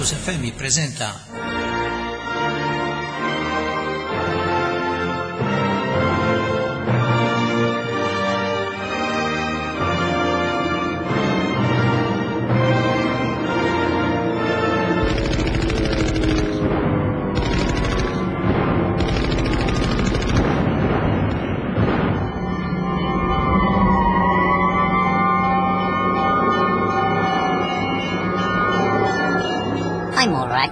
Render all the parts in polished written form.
Campus FM jippreżenta I'm all right.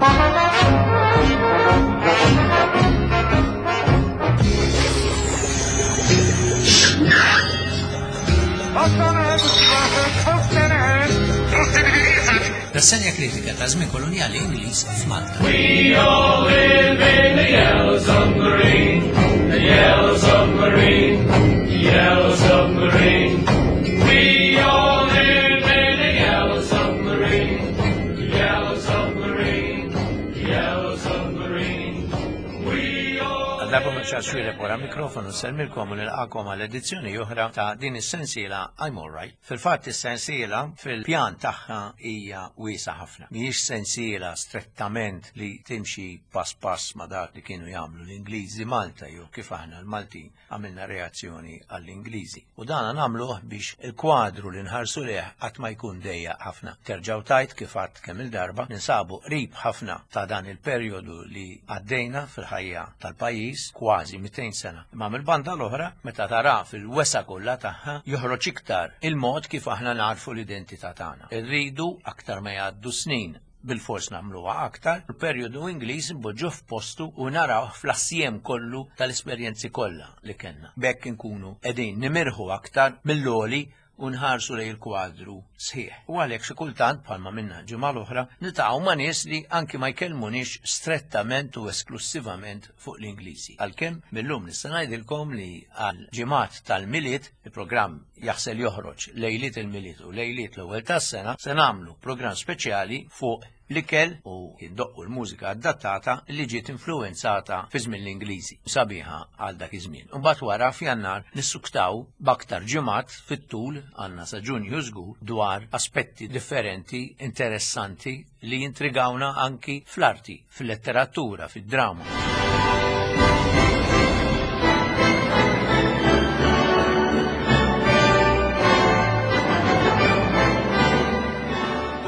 Rassenja kritika ta' żmien kolonjali Ingliż f'Malta. We all live in a yellow submarine, a yellow submarine, a yellow submarine. We all live in a yellow submarine, a yellow submarine, a yellow submarine. We all Għal-darba maċċar xwire wara mikrofonu selmilkom u nilqakom għal edizzjoni oħra ta' din is-sensiela I'm Alright. Fil-fatt is-sensiela fil-pjan tagħha hija wiesa ħafna. Mhijiex sensiela strettament li timxi pass pass ma' dak li kienu jagħmlu l-Ingliżi Malta jew kif aħna l-Maltin għamilna reazzjoni għall-Ingliżi. U dan nagħmluh biex il-kwadru li nħarsu leh qatt ma jkun dejjaq ħafna. Terġgħu tajt kif għadt kemm il-darba ninsabu qrib ħafna ta' dan il-perjodu li għaddejna fil-ħajja tal-pajjiż kważi 200 sena. Imma mill-banda l-oħra, meta tara fil-wesa kollha tagħha, joħroġ iktar il-mod kif aħna narfu l-identità tagħna. Irridu aktar ma jgħaddu snin bilfors nagħmluha aktar, il-perjodu Ingliż npoġġuh f'postu u narawh fl-assjem kollu tal-esperjenzi kollha li kellna. B'hekk inkunu qegħdin nimirħu aktar mill-għoli u nħarsu lejn il-kwadru sħiħ. U għalhekk xi kultant bħalma minna ġimgħa l-oħra niltaqgħu ma' nies li anki ma jkellmuniex strettament u esklussivament fuq l-Ingliżi. Għalkemm millum nista' ngħidilkom li għal ġimgħat tal-Milied il-programm jaħsel joħroġ lejliet il-Milied u lejliet l-ewwel tas-sena se nagħmlu programm speċjali fuq l-ikel u jindoqqu l-mużika adattata li ġiet influwenzata fi żmien l-Ingliżi, sabiħa għal dak iż-żmien. Imbagħad wara f'Jannar nissuktaw b'aktar ġimgħat fit-tul għandna sa Ġunju żgur dwar aspetti differenti interessanti li jintrigawna anki fl-arti, fil-letteratura, fid-drama.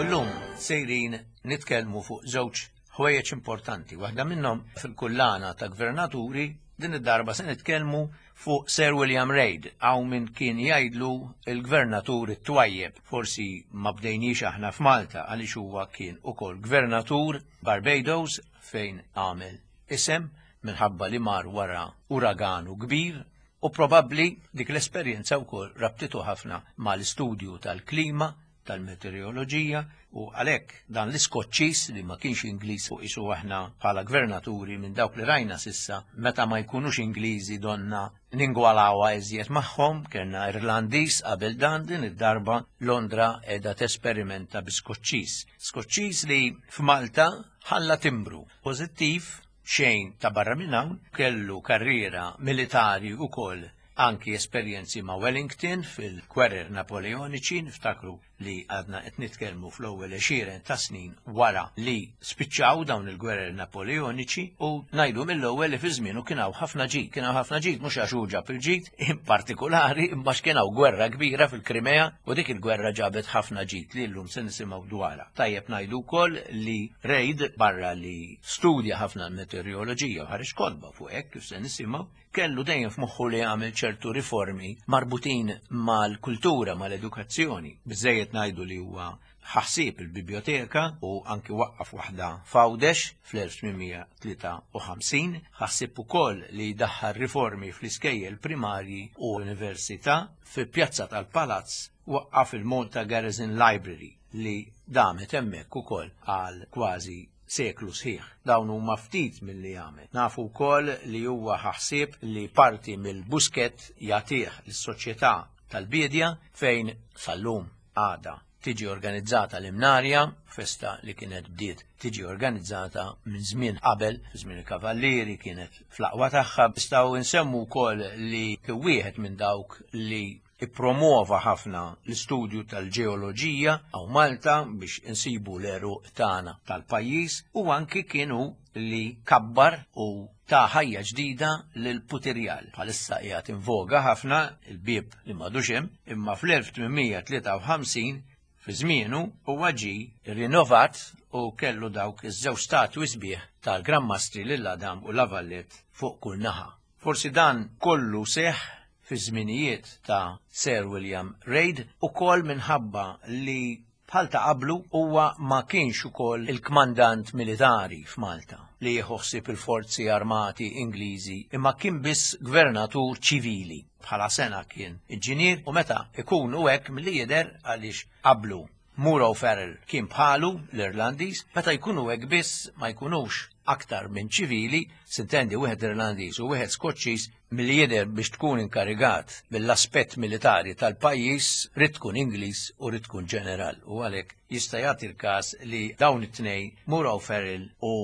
U llum sejrin nitkellmu fuq żewġ ħwejjeġ importanti. Waħda minnhom fil-kullana ta' gvernaturi din id-darba se nitkellmu fuq Sir William Reid, hawn min kien jgħidlu il-gvernatur it-twajjeb. Forsi ma bdejniex aħna f'Malta għaliex huwa kien ukoll gvernatur Barbados fejn għamel isem minħabba li mar wara uraganu kbir u probabbli dik l-esperjenza wkoll rabtitu ħafna mal-istudju tal-klima tal-meteoroloġija u għalhekk dan l-Iskoċċiż li ma kienx Ingliż u qisu aħna bħala gvernaturi minn dawk li rajna sissa meta ma jkunux Ingliżi donna ningwalawha iżjed magħhom, kellna Irlandiż qabel dan din id-darba Londra qiegħda tesperimenta bi Skoċċiż. Skoċċiż li f'Malta ħalla timbru pożittiv xejn ta' barra minn hawn, kellu karriera militari wkoll anki esperjenzi ma' Wellington fil-gwerer Napoleoniċi, niftakru li għadna qed nitkellmu fl-ewwel għexieren ta' snin wara li spiċċaw dawn il-gwerer Napoleoniċi u ngħidu mill-ewwel li fi żmienu kien hawn ħafna ġid, kien hawn ħafna ġid mhux għax hu ġab il-ġid in partikulari imma kien hawn gwerra kbira fil-Krimea u dik il-gwerra ġabet ħafna ġid li llum se nisimgħu dwarha. Tajjeb ngħidu wkoll li Reid barra li studja ħafna l-meteoroloġija u ħareġ kotba fuq hekk kif se nisimgħu, kellu dejjem f'moħħu li jagħmel ċertu riformi marbutin mal-kultura, mal-edukazzjoni. Biżejjed ngħidu li huwa ħassib il-biblioteka u anki waqqaf waħda f'Għawdex fl-1853, ħassib ukoll li jdaħħal riformi fl-iskejjel primarji u l-università fi pjazza tal-Palazz waqqaf il-Malta Garrison Library li damet hemmhekk ukoll għal kważi seklu sħiħ. Dawn huma ftit milli għamel. Nafu wkoll li huwa ħa ħsieb li parti mill-Buskett jagħtih lis-Soċjetà tal-Biedja fejn sal-lum għadha tiġi organizzata l-Imnarja, festa li kienet bdiet tiġi organizzata minn żmien qabel, fi żmien il-Kavallieri kienet fl-aqwa tagħha. Nistgħu nsemmu wkoll li kien wieħed minn dawk li Ippromwova ħafna l-istudju tal-ġeoloġija hawn Malta biex insibu l-għeruq tagħna tal-pajjiż u anki kien hu li kabbar u ta ħajja ġdida lill-putirjal. Bħalissa qiegħed in voga ħafna il-bieb li m'għadux hemm, imma fl-1853 fi żmienu huwa ġie rinnovat u kellu dawk iż-żewġ statwi sbieħ tal-Gran Mastri lil Adam u La Valette fuq kull naħa. Forsi dan kollu seħħ fiż-żminijiet ta' Sir William Reid ukoll minħabba li bħal ta' qablu huwa ma kienx ukoll il-kmandant militari f'Malta li jieħu ħsieb il-forzi armati Ingliżi imma kien biss gvernatur ċivili. Bħala sena kien inġinier u meta ikunu hekk milli jidher għaliex qablu Muro Farrell kien bħalu l-Irlandiż, meta jkunu hekk biss ma jkunux aktar minn ċivili, sintendi wieħed Irlandiż u wieħed Skoċċiż, milli jidher biex tkun inkarigat mill-aspett militari tal-pajjiż ridt tkun Ingliż u ridt tkun ġeneral u għalhekk jista' jagħti l-każ li dawn it-tnejn Muro Farrell u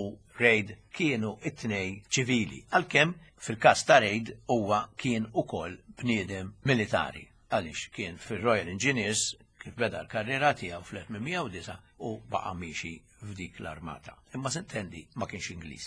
Reid kienu t-tnejn ċivili, għalkemm fil-każ ta' Reid huwa kien ukoll bniedem militari. Għaliex kien fir-Royal Engineers kif beda l-karriera tiegħu fl-1809 u baqa' miexi f'dik l-armata. Imma sintendi ma kienx Ingliż.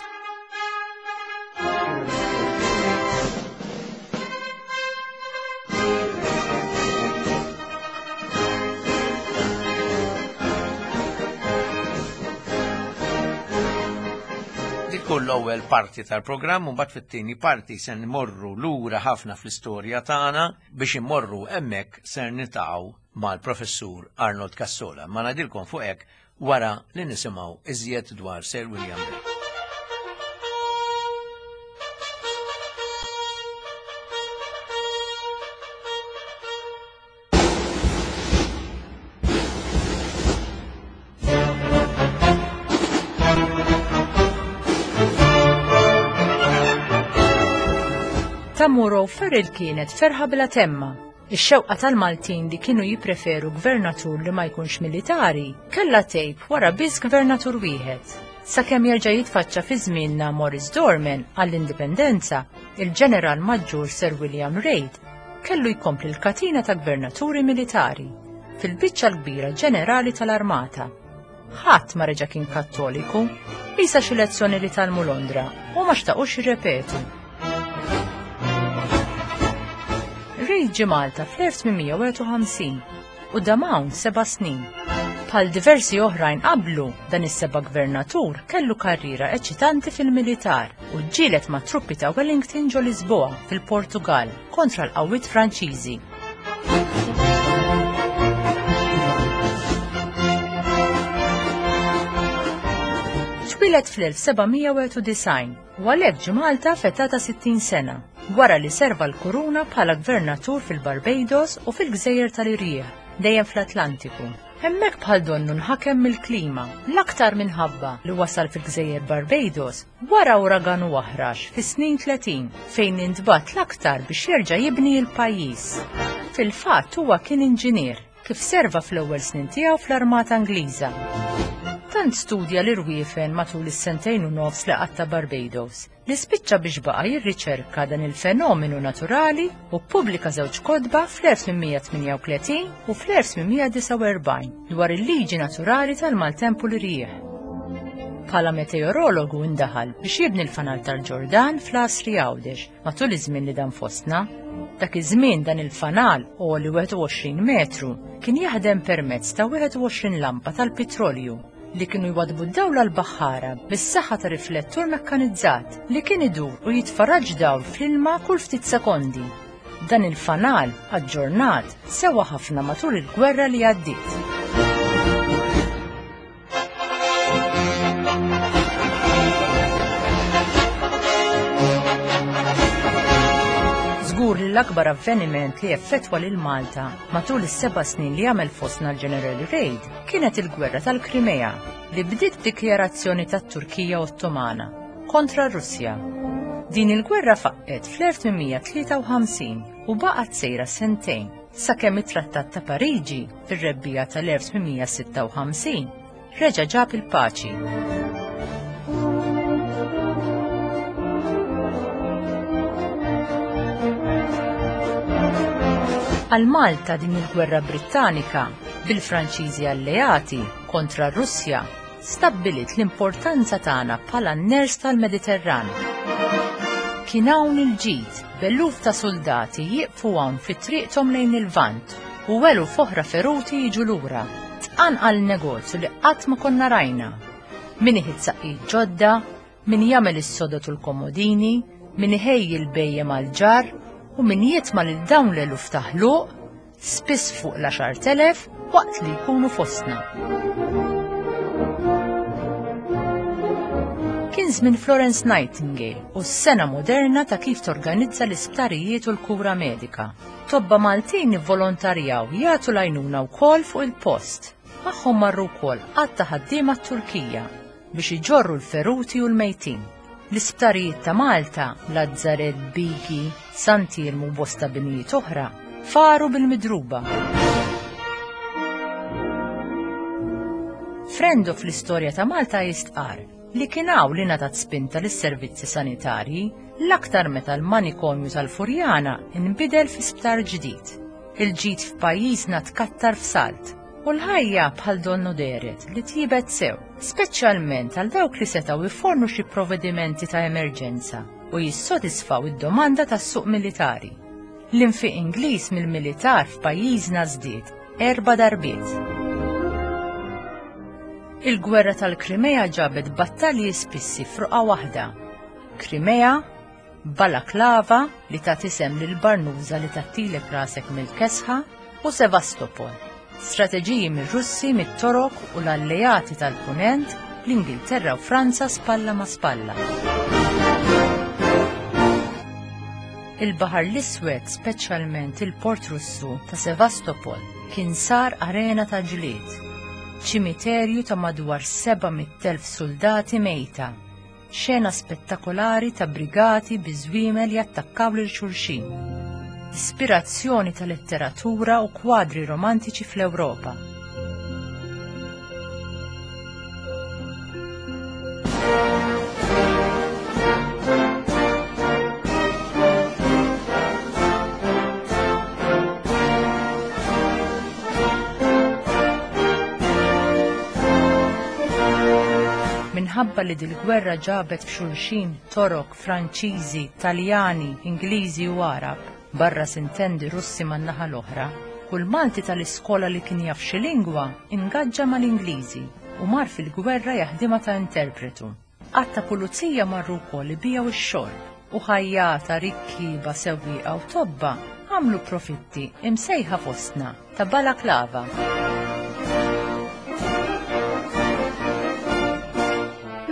Tkun l-ewwel parti tal-programm u mbagħad fit-tieni parti se nmorru lura ħafna fl-istorja tagħna Biex immorru hemmhekk ser niltaqgħu mal-Professur Arnold Cassola, ma ngħidilkom fuq hekk wara li nisimgħu iżjed dwar Sir William Reid. Ta' Muro Ferrell kienet ferħa bla temma. Ix-xewqa tal-Maltin li kienu jippreferu gvernatur li ma jkunx militari kellha tgħib wara biss gvernatur wieħed. Sakemm jerġa' jitfaċċa fi żmienna Morris Dorman għall-Indipendenza, il-Ġeneral Maġġur Sir William Reid kellu jkompli l-katina ta' gvernaturi militari, fil-biċċa l-kbira ġenerali tal-armata. Ħadd ma reġa' kien Kattoliku, qisha xi lezzjoni li tgħallmu Londra u ma xtaqux jirrepetu. Reid ġie Malta fl-1851 u dam hawn seba' snin. Bħal diversi oħrajn qablu, dan is-seba' gvernatur kellu karriera eċitanti fil-militar u ġġieled mat-truppi ta' Wellington ġo Lisboa fil-Portugall kontra l-qawwiet Franċiżi. Twieled fl-1791 u għalhekk ġie Malta f'età ta' 60 sena, wara li serva l-Kuruna bħala gvernatur fil-Barbados u fil-Gżejjer tal-Irjieħ, dejjem fl-Atlantiku. Hemmhekk bħal donnu nħakem mill-klima, l-aktar minħabba li wasal fil-Gżejjer Barbados Wara uragan u aħrax fis-snin 30 fejn intbagħat l-aktar biex jerġa' jibni l-pajjiż. Fil-fatt huwa kien inġinier kif serva fl-ewwel snin tiegħu fl-Armata Ingliża. Tant studja l-irwiefen matul is-sentejn u nofs li qatta' Barbados li spiċċa biex baqa' jirriċerka dan il-fenomenu naturali u ppubblika żewġ kotba fl-1838 u fl-1849 dwar il-liġi naturali tal-maltemp u l-irjieħ. Bħala meteorologu indaħal biex jibni l-fanal tal-Ġordan fl-Għasri Għawdex matul iż-żmien li dan fostna. Dak iż-żmien dan il-fanal għoli 21 metru kien jaħdem permezz ta' 21 lampa tal-pitrolju li kienu jwadbu d-dawl għall-baħħara bis-saħħa ta' riflettur mekkanizzat li kien idur u jitfa' dawl fl-ilma kull ftit sekondi. Dan il-fanal, aġġornat, sewa ħafna matul il-gwerra li għaddiet. Żgur li l-akbar avveniment li effettwa lil Malta matul is-seba' snin li għamel fostna l-General Reid kienet il-Gwerra tal-Krimea li bdiet b'dikjarazzjoni tat-Turkija Ottomana kontra r-Russja. Din il-gwerra faqqgħet fl-1853 u baqgħet sejra sentejn sakemm it-Trattat ta' Pariġi fir-rebbiegħa tal-1856 reġa' ġab il-paċi. Għal Malta din il-gwerra Brittanika bil-Franċiżi alleati kontra r-Russja stabbiliet l-importanza tagħna bħala n-ners tal-Mediterran. Kien hawn il-ġid b'eluf ta' suldati jieqfu hawn fi triqthom lejn il-Lvant u eluf oħra feruti jiġu lura. Tqanqal negozju li qatt ma konna rajna. Min iħit saqqijiet ġodda, min jagħmel is-sodod u l-komodini, min iħejji l-bhejjem għall-ġarr u min jitma' lil dawn l-eluf ta' ħluq, spiss fuq l-10,000, waqt li jkunu fostna. Kien żmien Florence Nightingale u s-sena moderna ta' kif torganizza l-isptarijiet u l-kura medika. Tobba Maltin ivvolontarjaw jagħtu l-għajnuna wkoll fuq il-post. Magħhom marru wkoll għadd ta' ħaddiema t-Turkija biex iġorru l-feruti u l-mejtin. L-isptarijiet ta' Malta, Lazzaret, Bigi, Sant'Iermu u bosta binijiet oħra, faru bil-midruba. Frendo fl-istorja ta' Malta jistqarr li kien hawn li ngħatat spinta lis-servizzi sanitarji l-aktar meta l-manikomju tal-Furjana nbidel fi sptar ġdid. Il-ġid f'pajjiżna tkattar f'salt u l-ħajja bħal donnu dehret li tjiebet sew, speċjalment għal dawk li setgħu jfornu xi provvedimenti ta' emerġenza u jissodisfaw id-domanda tas-suq militari. L-infiq Ingliż mill-militar f'pajjiżna żdied erba' darbiet. Il-gwerra tal-Krimea ġabet battalji spissi f'roqgħa waħda. Krimea, Balaklava, li tat isem lill-barnuża li tgħattilek rasek mill-kesħa, u Sevastopol. Strateġiji mir-Russi, mit-Torok u l-alleati tal-Punent, l-Ingilterra u Franza spalla ma' spalla. Il-Baħar l-Iswed, speċjalment il-port Russu ta' Sevastopol, kien sar arena ta' ġlied. Ċimiterju ta' madwar 700,000 suldati mejta. Xena spettakolari ta' brigati bi żwiemel jattakkaw lil xulxin. Ispirazzjoni ta' letteratura u kwadri romantiċi fl-Ewropa. Minħabba li dil-gwerra ġabet f'xulxin Torok, Franċiżi, Taljani, Ingliżi u Għarab, barra sintendi Russi man-naħa l-oħra, kull Malti tal-iskola li kien jaf xi lingwa ingaġġa mal-Ingliżi u mar fil-gwerra jaħdimha ta' interpretu. Għadd ta' pulizija marru wkoll ibigħu x-xorb u ħajjata, rikkieba, sewwieqa u tobba għamlu profitti imsejħa fostna ta' balaklava.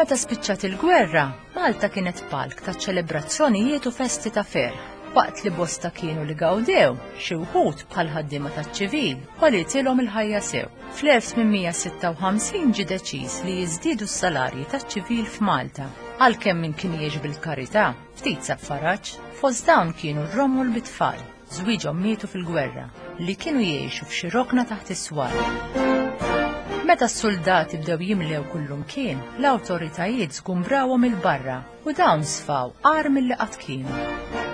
Meta spiċċat il-gwerra, Malta kienet palk ta' ċelebrazzjonijiet u festi ta' ferħ. Waqt li bosta kienu li gawdew, xi wħud bħal ħaddiema taċ-ċivil, għolitilhom il-ħajja sew. Fl-1856 ġie deċiż li jiżdiedu s-salarji taċ-ċivil f'Malta, għalkemm min kien jgħix bil-karità, ftit sab faraġ. Fost dawn kienu r-romol bit-tfal, żwieġhom mietu fil-gwerra, li kienu jgħixu f'xi rokna taħt is-swar. Meta s-suldati bdew jimlew kullumkien, l-awtoritajiet żgumbrawhom 'il barra u dawn sfaw agħar milli qatt kienu.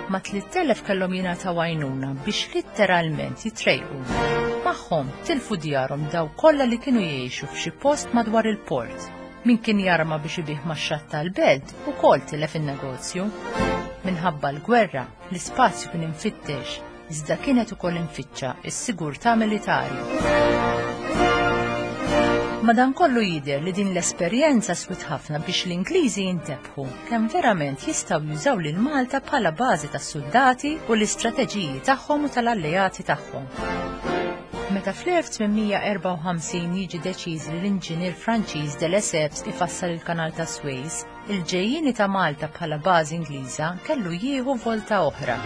Ma' 3,000 kellhom jingħataw għajnuna biex litteralment jitrejqu. Magħhom tilfu djarhom dawk kollha li kienu jgħixu f'xi post madwar il-port. Min kien jarma biex ibigħ max-xatt tal-belt ukoll tilef in-negozju. Minħabba l-gwerra, l-ispazju kien imfittex iżda kienet ukoll imfittxa s-sigurtà militari. Madankollu jidher li din l-esperjenza swiet ħafna biex l-Ingliżi jintebħu kemm verament jistgħu jużaw lil Malta bħala bażi tas-suldati u l-istrateġiji tagħhom u tal-alleati tagħhom. Meta fl-1854 jiġi deċiż li l-inġinier Franċiż de Lesseps ifassal il-Kanal ta' Suez, Il-ġejjieni ta' Malta bħala bażi Ingliża kellu jieħu volta oħra.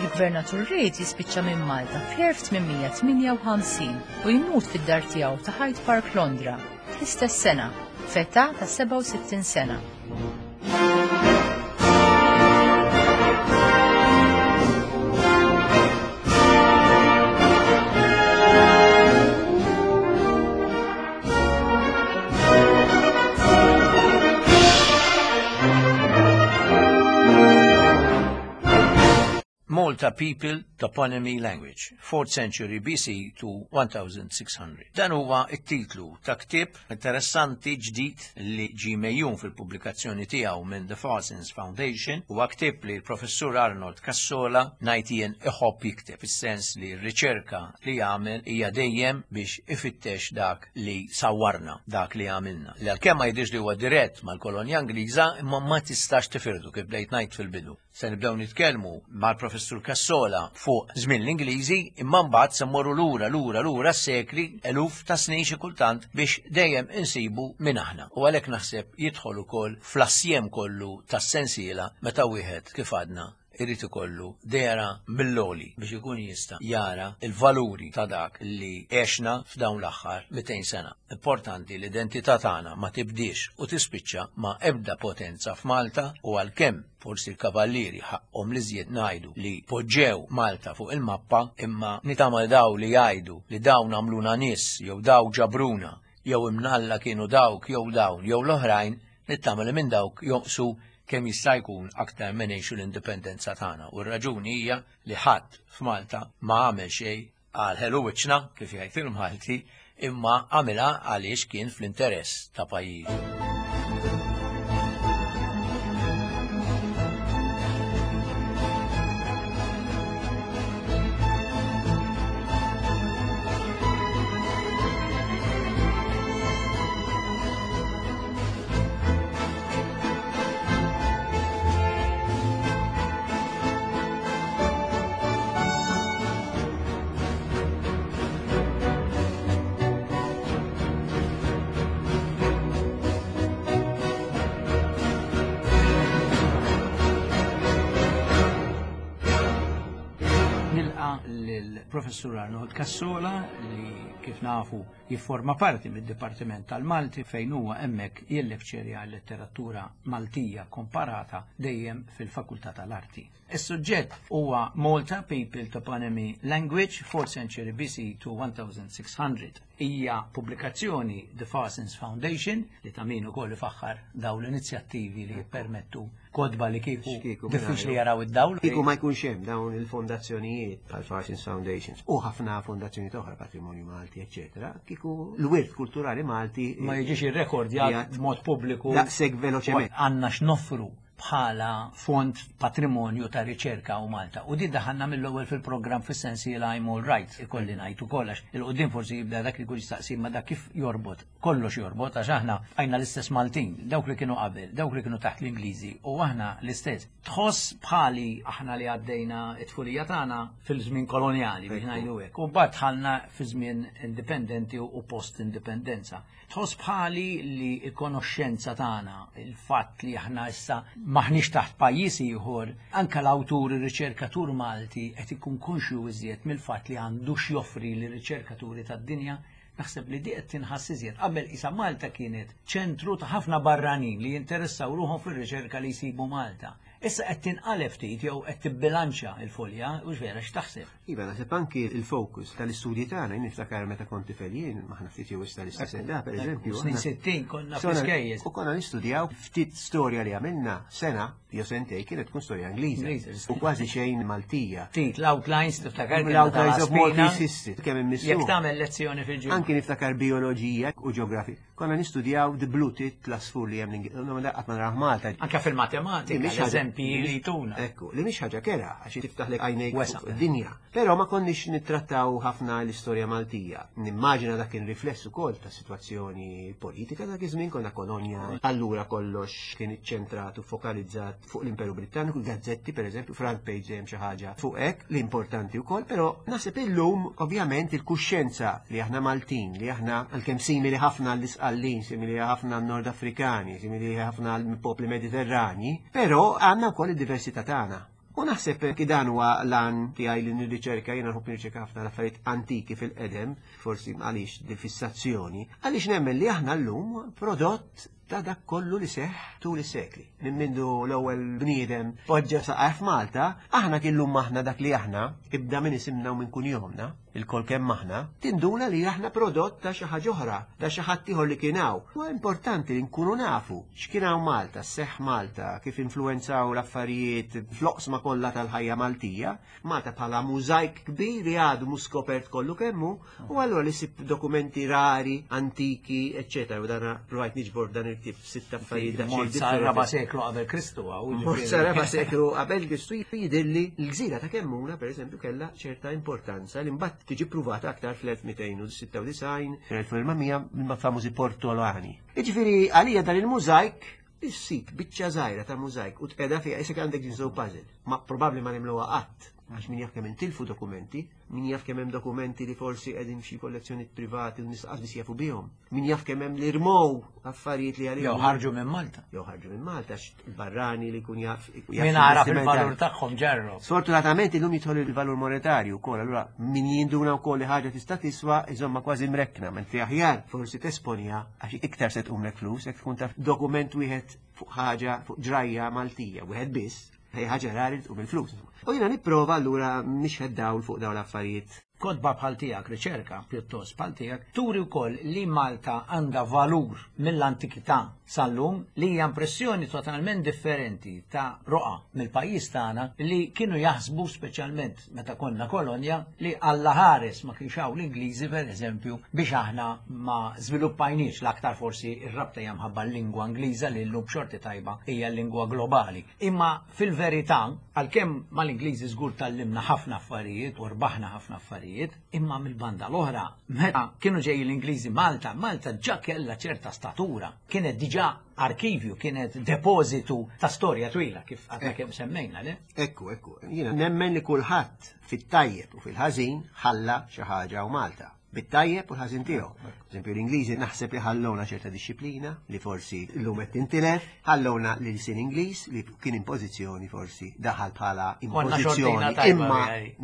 Il-Gvernatur Reid jispiċċa minn Malta fl-1858 u jmut fid-dar tiegħu ta' Hyde Park Londra fl-istess sena, f'età ta' 67 sena. Malta People Toponymy Language, 4th Century BC to 1600. Dan huwa t-titlu ta' ktieb interessanti ġdid li ġie megħjun fil-pubblikazzjoni tiegħu minn The Farsons Foundation. Huwa ktieb li l-Professur Arnold Cassola ngħid jien iħobb jikteb, fis-sens li r-riċerka li jagħmel hija dejjem biex ifittex dak li sawwarna, dak li għamilna. Li għalkemm ma jidhirx li huwa dirett mal-kolonja Ingliża, imma ma tistax tifirdu kif bdejt ngħid fil-bidu. Se nibdew nitkellmu mal-Professur Cassola fuq żmien l-Ingliżi, imma mbagħad se mmorru lura lura lura s-sekli, eluf ta' snin xi kultant biex dejjem insibu min aħna. U għalhekk naħseb jidħol ukoll fl-assjem kollu tas-sensiela meta wieħed kif għadna irid ikollu dehra mill-għoli biex ikun jista' jara l-valuri ta' dak li għexna f'dawn l-aħħar 200 sena. Importanti l-identità tagħna ma tibdiex u tispiċċa ma' ebda potenza f'Malta u għalkemm forsi l-Kavallieri ħaqqhom l-iżjed ngħidu li poġġew Malta fuq il-mappa imma nitama li daw li jgħidu li dawn għamluna nies jew daw ġabruna jew imnalla kienu dawk jew dawn jew l-oħrajn nittama li minn dawk jonqsu kemm jista' jkun aktar ma ngħixu l-indipendenza tagħna u r-raġuni hija li ħadd f'Malta ma għamel xejn għal ħelu wiċċna, kif jgħid il-Malti, imma għamilha għaliex kien fl-interess ta' pajjiżu. Nilqa lill-Professur Arnold Cassola li kif nafu jifforma parti mid-Dipartiment tal-Malti fejn huwa hemmhekk jillekċerja l-letteratura Maltija komparata dejjem fil-Fakultà tal-Arti. Is-suġġett huwa Malta People Toponymy Language, 4th Century BC to 1600. Hija pubblikazzjoni The Farsons Foundation li ta' min ukoll ifaħħar dawn l-inizjattivi li jippermettu kotba li kieku diffiċli jaraw id-dawl. Kieku ma jkunx hemm dawn il-fondazzjonijiet bħal Farsons Foundations u ħafna fondazzjonijiet oħra, Patrimonju Malti, eċċetera, kieku l-wirt kulturali Malti ma jiġix irrekordjat b'mod pubbliku daqshekk veloċement. Għandna x'noffru bħala fond patrimonju ta' riċerka u Malta. U din daħalna mill-ewwel fil-programm fis-sensiela I'm All Right, ikolli ngħid ukoll għax il-qudiem forsi jibda dak li jkun jistaqsi ma dak kif jorbot. Kollox jorbot għax aħna bqajna l-istess Maltin, dawk li kienu qabel, dawk li kienu taħt l-Ingliżi u aħna l-istess. Tħoss bħali aħna li għaddejna t-tfulija tagħna fil-żmien kolonjali biex ngħidu hekk. U mbagħad dħalna fi żmien indipendenti u post-indipendenza. Tħoss bħali li l-konoxxenza tagħna, il-fatt li aħna issa m'aħniex taħt pajjiż ieħor, anke l-awtur, ir-riċerkatur Malti qed ikun konxju iżjed mill-fatt li għandu x'joffri lir-riċerkaturi tad-dinja? Naħseb li di qed tinħass iżjed. Qabel qisha Malta kienet ċentru ta' ħafna barranin li jinteressaw ruħhom fir-riċerka li jsibu Malta. Issa qed tinqaleb ftit jew qed tibbilanċja l-folja, hux vera, x'taħseb? Iva, naħseb anki il-fokus tal-istudji tagħna, jien niftakar meta kont tifel jien, aħna ftit jew issa l-istess età, pereżempju. Snin 60 konna fl-iskejjel. U konna nistudjaw ftit storja li għamilna sena jew sentej kienet tkun storja Ingliża. U kważi xejn Maltija. Ftit l-outlines tiftakar. L-outlines of Maltese history kemm immissu. Jekk tagħmel lezzjoni fil-ġimgħa. Anki niftakar bioloġija u ġeografija. Konna nistudjaw the blue tit l-asfur li hemm qatt ma narah Malta. Anke fil-matematika, l-eżempji li jtuna. Ekku, li mhix ħaġa kera għax tiftaħlek għajnejk id-dinja. Però ma konniex nittrattaw ħafna l-istorja Maltija. Nimmaġina dak kien rifless ukoll ta' sitwazzjoni politika dak iż-żmien konna kolonja. Allura kollox kien iċċentrat u fokalizzat fuq l-Imperu Britanniku, gazzetti pereżempju, front page dejjem xi ħaġa fuq hekk, li importanti wkoll, però naħseb illum ovvjament il-kuxjenza li aħna Maltin, li aħna għalkemm simili ħafna għall-Isqallin, simili ħafna għan-Nord Afrikani, simili ħafna għall-popli Mediterrani, però għandna wkoll id-diversità tagħna. U naħseb ki dan huwa l-għan tiegħi li nirriċerka, jiena nħobb nirriċerka ħafna l-affarijiet antiki fil-qedem, forsi għaliex dil-fissazzjoni, għaliex nemmen li aħna llum prodott ta' dak kollu li seħħ tul is-sekli. Minn mindu l-ewwel bniedem poġġa saqajh f'Malta, aħna killum aħna dak li aħna, ibda minn isimna u minn kunjomna, il-kol kemm aħna, tinduna li aħna prodott ta' xi ħaġa oħra, ta' xi ħadd ieħor li kien hawn. Huwa importanti li nkunu nafu x'kien hawn Malta, seħħ Malta, kif influwenzaw l-affarijiet fl-oqsma kollha tal-ħajja Maltija. Malta bħala mużajk kbir li għadu mhux skopert kollu kemmu, u allura li sib dokumenti rari, antiki, eċċetera. U dana provajt niġbor dan il-ktieb f'sitt affarijiet daqsxejn Mort sa differenti. raba seklu qabel Kristu hawn. Mort sa raba seklu qabel Kristu jidhirli l-gżira ta' Kemmuna, per eżempju, kellha ċerta importanza li mbagħad tiġi pruvata aktar fl-1296, fl-1400 mill-famużi Portolani. Jiġifieri għalija dan il-mużajk issib biċċa żgħira ta' mużajk u tqiegħda fiha isek għandek jigsaw puzzle. Ma probabbli ma nimluha qatt, għax min jaf kemm intilfu dokumenti, min jaf kemm hemm dokumenti li forsi qegħdin f'xi kollezzjonijiet privati u nies qas biss jafu bihom. Min jaf kemm hemm li rmow affarijiet li għalihom. Jew ħarġu minn Malta. Jew ħarġu minn Malta, għax il-barrani li jkun jaf. Min għaraf il-valur tagħhom ġarru. Sfortunatament illum jidħol il-valur monetarju wkoll, allura min jinduna wkoll li ħaġa tista' tiswa iżomma kważi mrekkna, mentri aħjar forsi tesponja għax iktar se tqumlek flus jekk tkun taf dokument wieħed fuq ħaġa, fuq ġrajja Maltija, wieħed biss, hija ħaġa rari li tqum il-flus. U jiena nipprova allura nixħet dawl fuq dawn l-affarijiet. Kotba bħal tiegħek, riċerka pjuttost bħal tiegħek, turi wkoll li Malta għandha valur mill-antikità sal-lum li hija impressjoni totalment differenti ta' roqgħa mill-pajjiż tagħna li kienu jaħsbu speċjalment meta konna kolonja li Alla ħares ma kienx hawn l-Ingliżi pereżempju biex aħna ma żviluppajniex l-aktar forsi r-rabta hija mħabba l-lingwa Ingliża li llum b'xorti tajba hija l-lingwa globali. Imma fil-verità, għalkemm mal-Ingliżi żgur tgħallimna ħafna affarijiet u rbaħna ħafna affarijiet, imma mill-banda l-oħra, meta kienu ġejjin l-Ingliżi Malta, Malta ġa kellha ċerta statura, kienet diġà arkivju, kienet depożitu ta' storja twila kif għadna kemm semmejna, le? Ekku, ekku. Jiena nemmen li kulħadd fit-tajjeb u fil-ħażin ħalla xi ħaġa u Malta. Bit-tajjeb u l-ħażin tiegħu. Eżempju, l-Ingliżi naħseb li ħallowna ċerta disċiplina li forsi llum qed tintilef, ħallowna l-ilsien Ingliż li kien impożizzjoni forsi daħal bħala impożizzjoni. Imma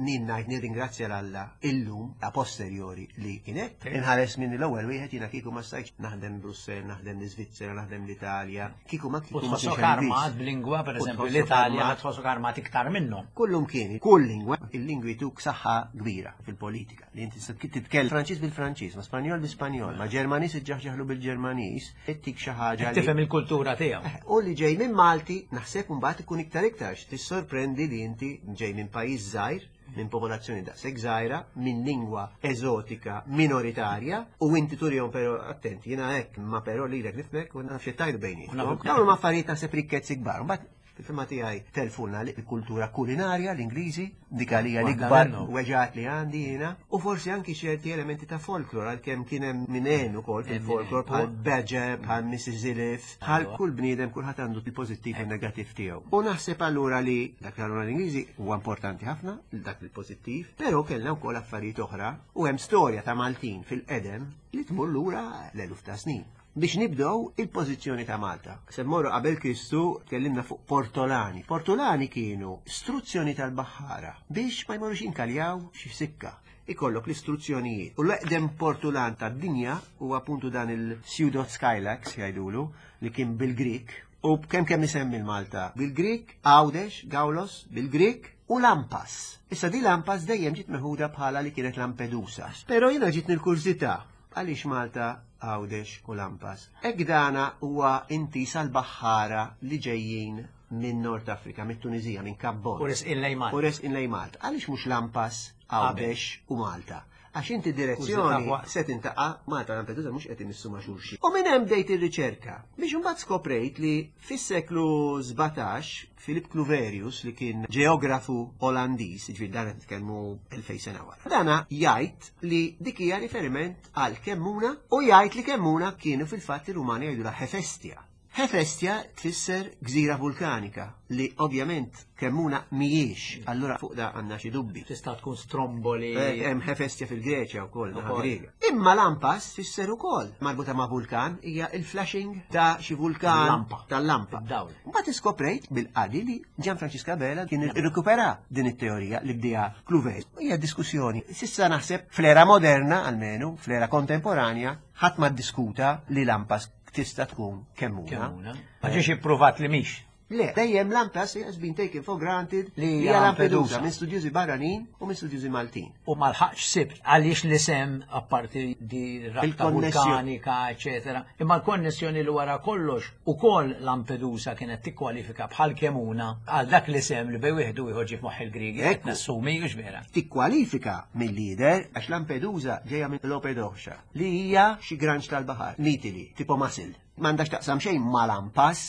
nien ngħid nirringrazzja l-Alla illum a posteriori li kien hekk. Inħares minn l-ewwel wieħed jiena kieku ma stajtx naħdem Brussell, naħdem l-Iżvizzera, naħdem l-Italja, kieku ma kieku ma tħossok armat b'lingwa, pereżempju l-Italja tħossok armat iktar minnhom. Kullum kien, kull lingwa, il-lingwi tuk saħħa kbira fil-politika. Li inti titkellem Franċiż bil-Franċiż, ma Spanjol bil-Spanjol, ma Ġermaniż iġġaħġaħlu bil-Ġermaniż, ittik xi ħaġa. Tifhem il-kultura tiegħu. Eh, u li ġej minn Malti, naħseb mbagħad ikun iktar iktar tissorprendi li inti ġej minn pajjiż żgħir, minn popolazzjoni daqshekk żgħira, minn lingwa eżotika minoritarja, u inti turihom però attenti, jiena hekk, ma però lilek nifhmek u naf xi tajdu bejnietkom. Dawn huma affarijiet naħseb rikkezzi kbar. Mbagħad Fil-fehma tiegħi telfulna l-kultura kulinarja l-Ingliżi, dik għalija l-ikbar weġgħat li għandi jiena, u forsi anki ċerti elementi ta' folklor għalkemm kien hemm min għen ukoll fil-folklor bħal Badger, bħal Mrs. Zilif, bħal kull bniedem kulħadd għandu il-pożittiv u negattiv tiegħu. U naħseb allura li dak l l-Ingliżi huwa importanti ħafna, dak il-pożittiv, però kellna wkoll affarijiet oħra u hemm storja ta' Maltin fil-qedem li tmur lura l-eluf ta' snin. Biex nibdew il-pożizzjoni ta' Malta. Se mmorru qabel Kristu tkellimna fuq Portolani. Portolani kienu struzzjoni tal-baħħara biex ma jmorrux jinkaljaw xi sikka. Ikollok l-istruzzjonijiet. U l-eqdem portulan tad-dinja huwa appuntu dan il-Pseudo Skylax jgħidulu li kien bil-Grik. U kemm kemm isemmi l-Malta bil-Grik, Għawdex, Gawlos bil-Grik u Lampas. Issa di Lampas dejjem ġiet meħuda bħala li kienet Lampedusa. Però jiena ġietni l-kurżità għaliex Malta Għawdex u Lampas. Hekk dana huwa intiż għall-baħħara li ġejjin minn Nord Afrika, mit-Tuniżija, minn Kap Bon. U resqin lejn Malta. U resqin lejn Malta. Għaliex mhux Lampas, Għawdex u Malta? Għax inti direzzjoni se tintaqa' Malta Lampedusa mhux qed imissu ma' xulxin. U minn hemm bdejt ir-riċerka biex imbagħad skoprejt li fis-seklu 17 Philip Cluverius li kien ġeografu Olandiż, jiġifieri dan qed nitkellmu 2000 sena wara. Dana jgħid li dik hija riferiment għal Kemmuna u jgħid li Kemmuna kienu fil-fatt ir-Rumani jgħidulha Hefestia. Hefestia tfisser gżira vulkanika li ovvjament Kemmuna mhijiex, allura fuq da għandna xi dubbi. Tista' tkun Stromboli. Eh, hemm Hefestia fil-Greċja wkoll, naħa Griega. Imma lampas tfisser ukoll marbuta ma' vulkan hija il-flashing ta' xi vulkan tal-lampa. Mbagħad iskoprejt bil-qadi li Gian Francisca Abela kien irrikupera din it-teorija li bdieha Cluvet. Hija diskussjoni. Sissa naħseb fl-era moderna almenu, fl-era kontemporanja, ħadd ma ddiskuta li lampas tista' tkun Kemmuna. Kemmuna. Ma ġiex ippruvat li mhix. Le, dejjem Lampas has been taken for granted Li li hija hija Lampedusa Lampedusa. minn studjużi barranin u minn studjużi Maltin. U ma lħaqx sibt għaliex l-isem apparti di rabta Il-konnessjoni. vulkanika, eccetera. Imma l-konnessjoni li wara kollox ukoll Lampedusa kienet tikkwalifika bħal Kemuna għal dak l-isem li bej wieħed u ieħor ġie f'moħħ il-Griegi. Qed Ekku. Nassumi hux vera. Tikkwalifika mill-lider għax Lampedusa ġejja minn Lopedoxa li hija xi granċ tal-baħar, mitili, tipo masil. M'għandax taqsam xejn ma' Lampas.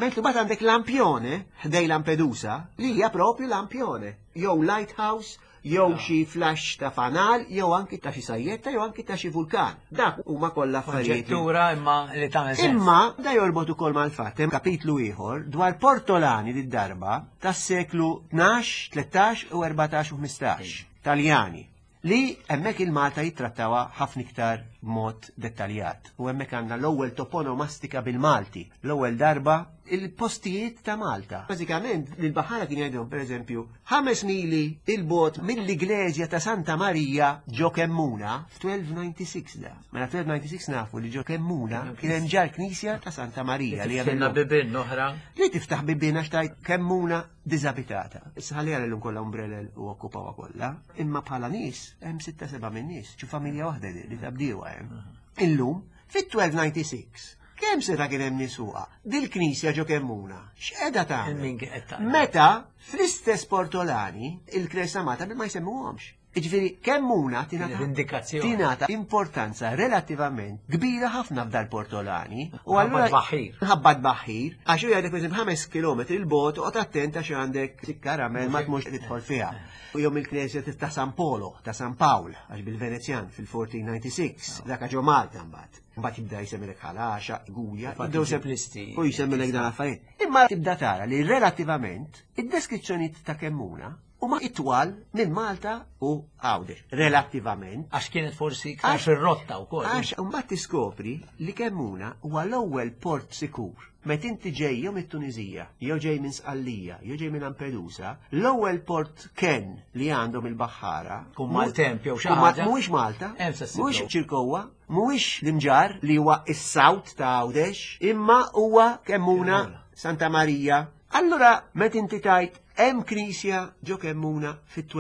Mentri mbagħad għandek Lampione ħdej Lampedusa li hija propju Lampione, jew lighthouse, jew xi flash ta' fanal, jew anki ta' xi sajjetta, jew anki ta' xi vulkan. Dak huma kollha affarijiet. li- Konġettura imma li tagħmel sens. Imma da jorbot ukoll mal-fatt hemm kapitlu ieħor dwar Portolani lid-darba tas-seklu 12, 13 u 14 u 15 Taljani li hemmhekk il-Malta jittrattawha ħafna iktar b'mod dettaljat. U hemmhekk għandna l-ewwel toponomastika bil-Malti, l-ewwel darba il-postijiet ta' Malta. Bażikament l-baħara kien jgħidhom pereżempju ħames mili il-bot mill-Igleżja ta' Santa Marija ġo Kemmuna f'1296 da. Mela 1296 nafu li ġo Kemmuna kien hemm ġar knisja ta' Santa Marija li Tiftilna hemm bibien oħra. li tiftaħ bibien għax tajt Kemmuna diżabitata. Issa ħalli għal kollha umbrellel u okkupawha kollha, imma bħala nies hemm sitta seba' minn nies, xi familja waħda li li tabdiewa hemm. Illum fit-1296 kemm seta' kien hemm nies fuqha? Dil-knisja ġo Kemmuna, x'qiegħda tagħmel? Min kien qed tagħmel? Meta fl-istess Portolani il-Knisja Malta ma jsemmuhomx. Jiġifieri Kemmuna tingħata Indikazzjoni. tingħata importanza relattivament kbira ħafna f'dal Portolani. U Ħabba allura tbaħħir. Ħabba tbaħħir, għax hu jgħidlek pereżempju 5 km il-bot oqgħod attent għax għandek sikkaramel ma tmux tidħol fiha. U jom il-knisja ta' San Polo, ta' San Pawl, għax bil-Venezjan fil-1496, dak ġo Malta mbagħad. Mbagħad jibda jsemmilek ħalaxa, Gulja, Infatti jibdew sem- ġiblisti. u jsemmilek dan affarijiet. Imma tibda tara li relattivament id-deskrizzjonijiet ta' Kemmuna huma itwal minn Malta u Għawdex, relattivament. Għax kienet forsi iktar Għax- fir-rotta wkoll. Għax mbagħad tiskopri li Kemmuna huwa l-ewwel port sikur. Meta inti ġej jew mit-Tuniżija, jew ġej minn Sqallija, jew ġej minn Lampedusa, l-ewwel port ken li għandhom il-baħħara. Kun maltemp jew xi Kun ma- ħaġa. Mhuwiex Malta, Hemm se ssiblu. mhuwiex Ċirkowa, mhuwiex l-Imġar li huwa is-South ta' Għawdex, imma huwa Kemmuna, Kemmuna. Santa Marija. Allura, meta inti tajt hemm knisja ġo Kemmuna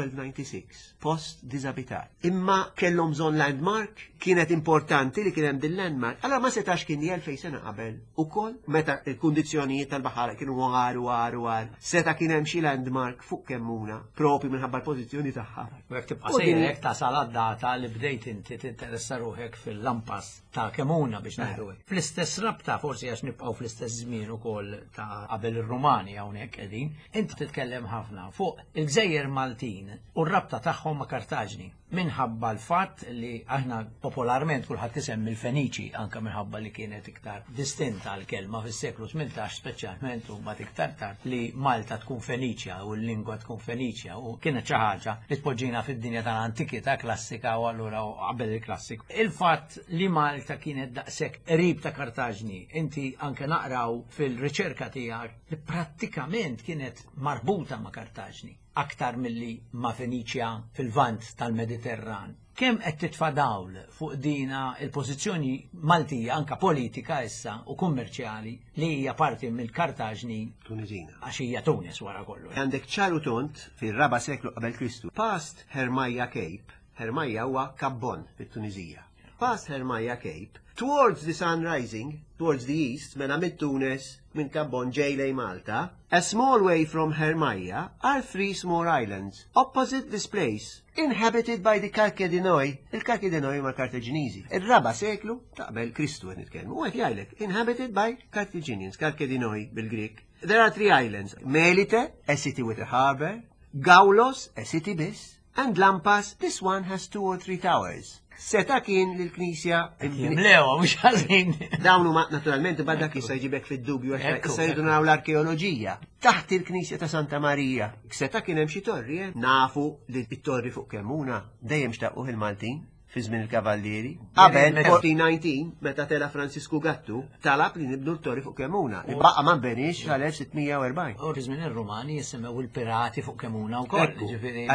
fit-1296, post diżabitat. Imma kellhom bżonn landmark, kienet importanti li kien hemm din landmark. Allora ma setax kien jel fejn sena qabel ukoll meta il-kundizzjonijiet tal-baħar kienu għar u għar u għar. Seta kien hemm xi landmark fuq Kemmuna, propju minħabba l-pożizzjoni tagħha. U jekk tibqa' U din- sejrek tasal għad-data li bdejt inti tinteressa ruħek fil-lampas ta' Kemuna biex ngħidu hekk. Fl-istess rabta forsi għax nibqgħu fl-istess żmien ukoll ta' qabel ir-Rumani hawnhekk qegħdin, inti titkellem ħafna fuq il-Gżejjer Maltin u r-rabta tagħhom ma' Kartaġni minħabba l-fatt li aħna popolarment kulħadd isemmi l-Feniċi anke minħabba li kienet iktar distinta l-kelma fis-seklu 18 speċjalment u mbagħad iktar tard li Malta tkun Feniċja u l-lingwa tkun Feniċja u kienet xi ħaġa li tpoġġina fid-dinja tal-antikità klassika u allura u qabel il-klassik. Il-fatt li Malta kienet daqshekk qrib ta' Kartaġni, inti anke naqraw fil-riċerka tiegħek li prattikament kienet marbuta ma' Kartaġni aktar milli ma' Feniċja fil-vant tal-Mediterran. Kemm qed titfa' dawl fuq dina il-pożizzjoni Maltija anka politika issa u kummerċjali li hija parti mill-Kartaġni Tunizina. għax hija Tunis wara kollu. Għandek ċaru tont fil-raba seklu qabel Kristu. Past Hermaja Cape, Hermaja huwa Kabbon fit-Tunizija. Past Hermaja Cape, towards the sun rising, towards the east, mela minn Tunis, minn Kabbon ġej lej Malta, a small way from Hermaja are three small islands opposite this place, inhabited by the Karkedinoi, il-Karkedinoi ma Kartaġiniżi. Ir-raba seklu ta' qabel Kristu qed nitkellmu. U qed jgħidlek, inhabited by Carthaginians, Karkedinoi bil-Grik. There are three islands, Melite, a city with a harbor, Gaulos, a city bis, and Lampas, this one has two or three towers. Seta kien l-knisja Jimlewa, mhux ħażin. Dawn huma naturalment bad dak jista' jġibek fid-dubju għax Ekku, issa jridu ekku. naraw l-arkeoloġija. Taħt il-Knisja ta' Santa Marija. Seta kien hemm xi torri, eh? Nafu li t-torri fuq Kemmuna dejjem xtaquh il-Maltin. fi żmien il-Kavallieri. Qabel 1419, meta tela Francisku Gattu, talab li nibnu l-torri fuq Kemuna. Li baqa' ma nbenix sal-1640. U fi żmien ir-Rumani jissemmew il-pirati fuq Kemuna wkoll. Ġifieri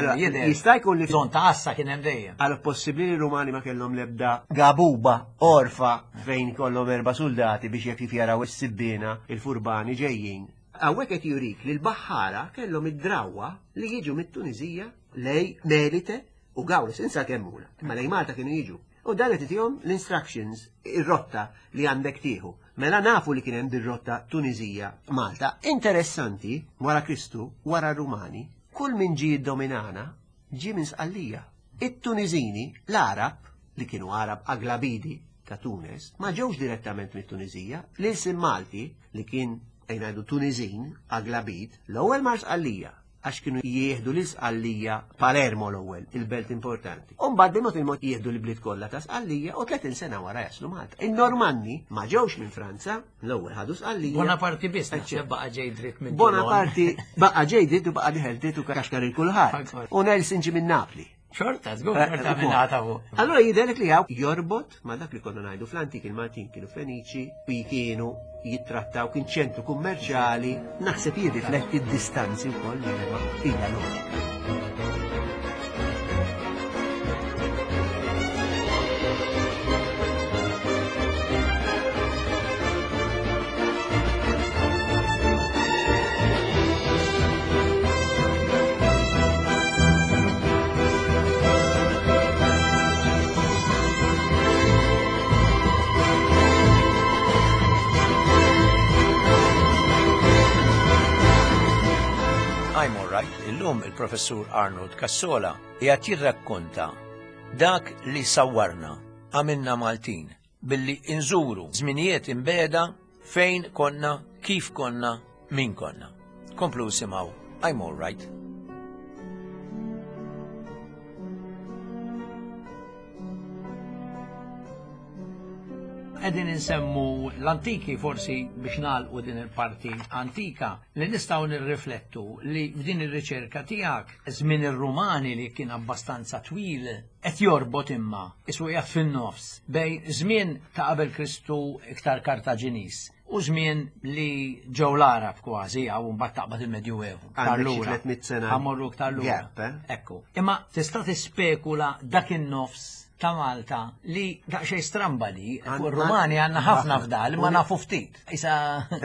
jista' jkun li bżonn ta' għassa kien hemm dejjem. Allora possibbli li r-Rumani ma kellhom l-ebda gabuba orfa fejn kollhom erba' soldati biex jekk jaraw is-sibbiena il-furbani ġejjin. Hawnhekk qed jurik li l-baħħara kellhom id-drawwa li jiġu mit-Tuniżija lej Melite u Gawlis, insa Kemmuna, imma lej Malta kienu jiġu. U dan qed itihom l-instructions, ir-rotta li għandek tieħu. Mela nafu li kien hemm dir-rotta Tuniżija Malta. Interessanti, wara Kristu, wara Rumani, kull min ġie jiddominana ġie minn Sqallija. It-Tuniżini, l-Għarab, li kienu Għarab Aglabidi ta' Tunes, ma ġewx direttament mit-Tuniżija, l-ilsien Malti, li kien ejja ngħidu Tuniżin, Aglabid, l-ewwel mar Sqallija, għax kienu jieħdu lil Sqallija Palermo l-ewwel, il-belt importanti. U mbagħad bil-mod il-mod jieħdu l-bliet kollha ta' Sqallija u 30 sena wara jaslu Malta. In-Normanni ma ġewx minn Franza, l-ewwel ħadu Sqallija. Bonaparti biss naħseb baqa' ġej dritt minn Bonaparti baqa' ġej dritt u baqa' diħel dritt u kaxkar il kulħadd. U Nelson ġie minn Napli. Xorta, żgur, eh, xorta minn għata fuq. Allora jidherlek li hawn jorbot ma dak li konna ngħidu fl-antik il-Maltin kienu Feniċi u kienu jittrattaw kien ċentru kummerċjali, naħseb jirrifletti d-distanzi wkoll li huma hija loġika. I'm alright, illum il-professur Arnold Cassola qiegħed jirrakkonta dak li sawwarna għamilna Maltin billi inżuru żminijiet imbeda Fejn konna, kif konna, min konna. Komplu isimgħu I'm All Right. Qegħdin insemmu l-antiki forsi biex nagħlqu din il-parti antika li nistgħu nirriflettu li f'din ir-riċerka tiegħek żmien ir-Rumani li kien abbastanza twil qed jorbot imma isu qiegħed fin-nofs bejn żmien ta' qabel Kristu iktar Kartaġiniż u żmien li ġew l-Għarab kważi hawn mbagħad taqbad il-Medjuevu. Iktar lura. 300 sena. Ħammorru iktar lura. Gap, eh? Ekku. Imma tista' tispekula dak in-nofs ta' Malta li daqsxejn stramba li fuq ir-Rumani għandna ħafna fdal imma nafu ftit. Isa.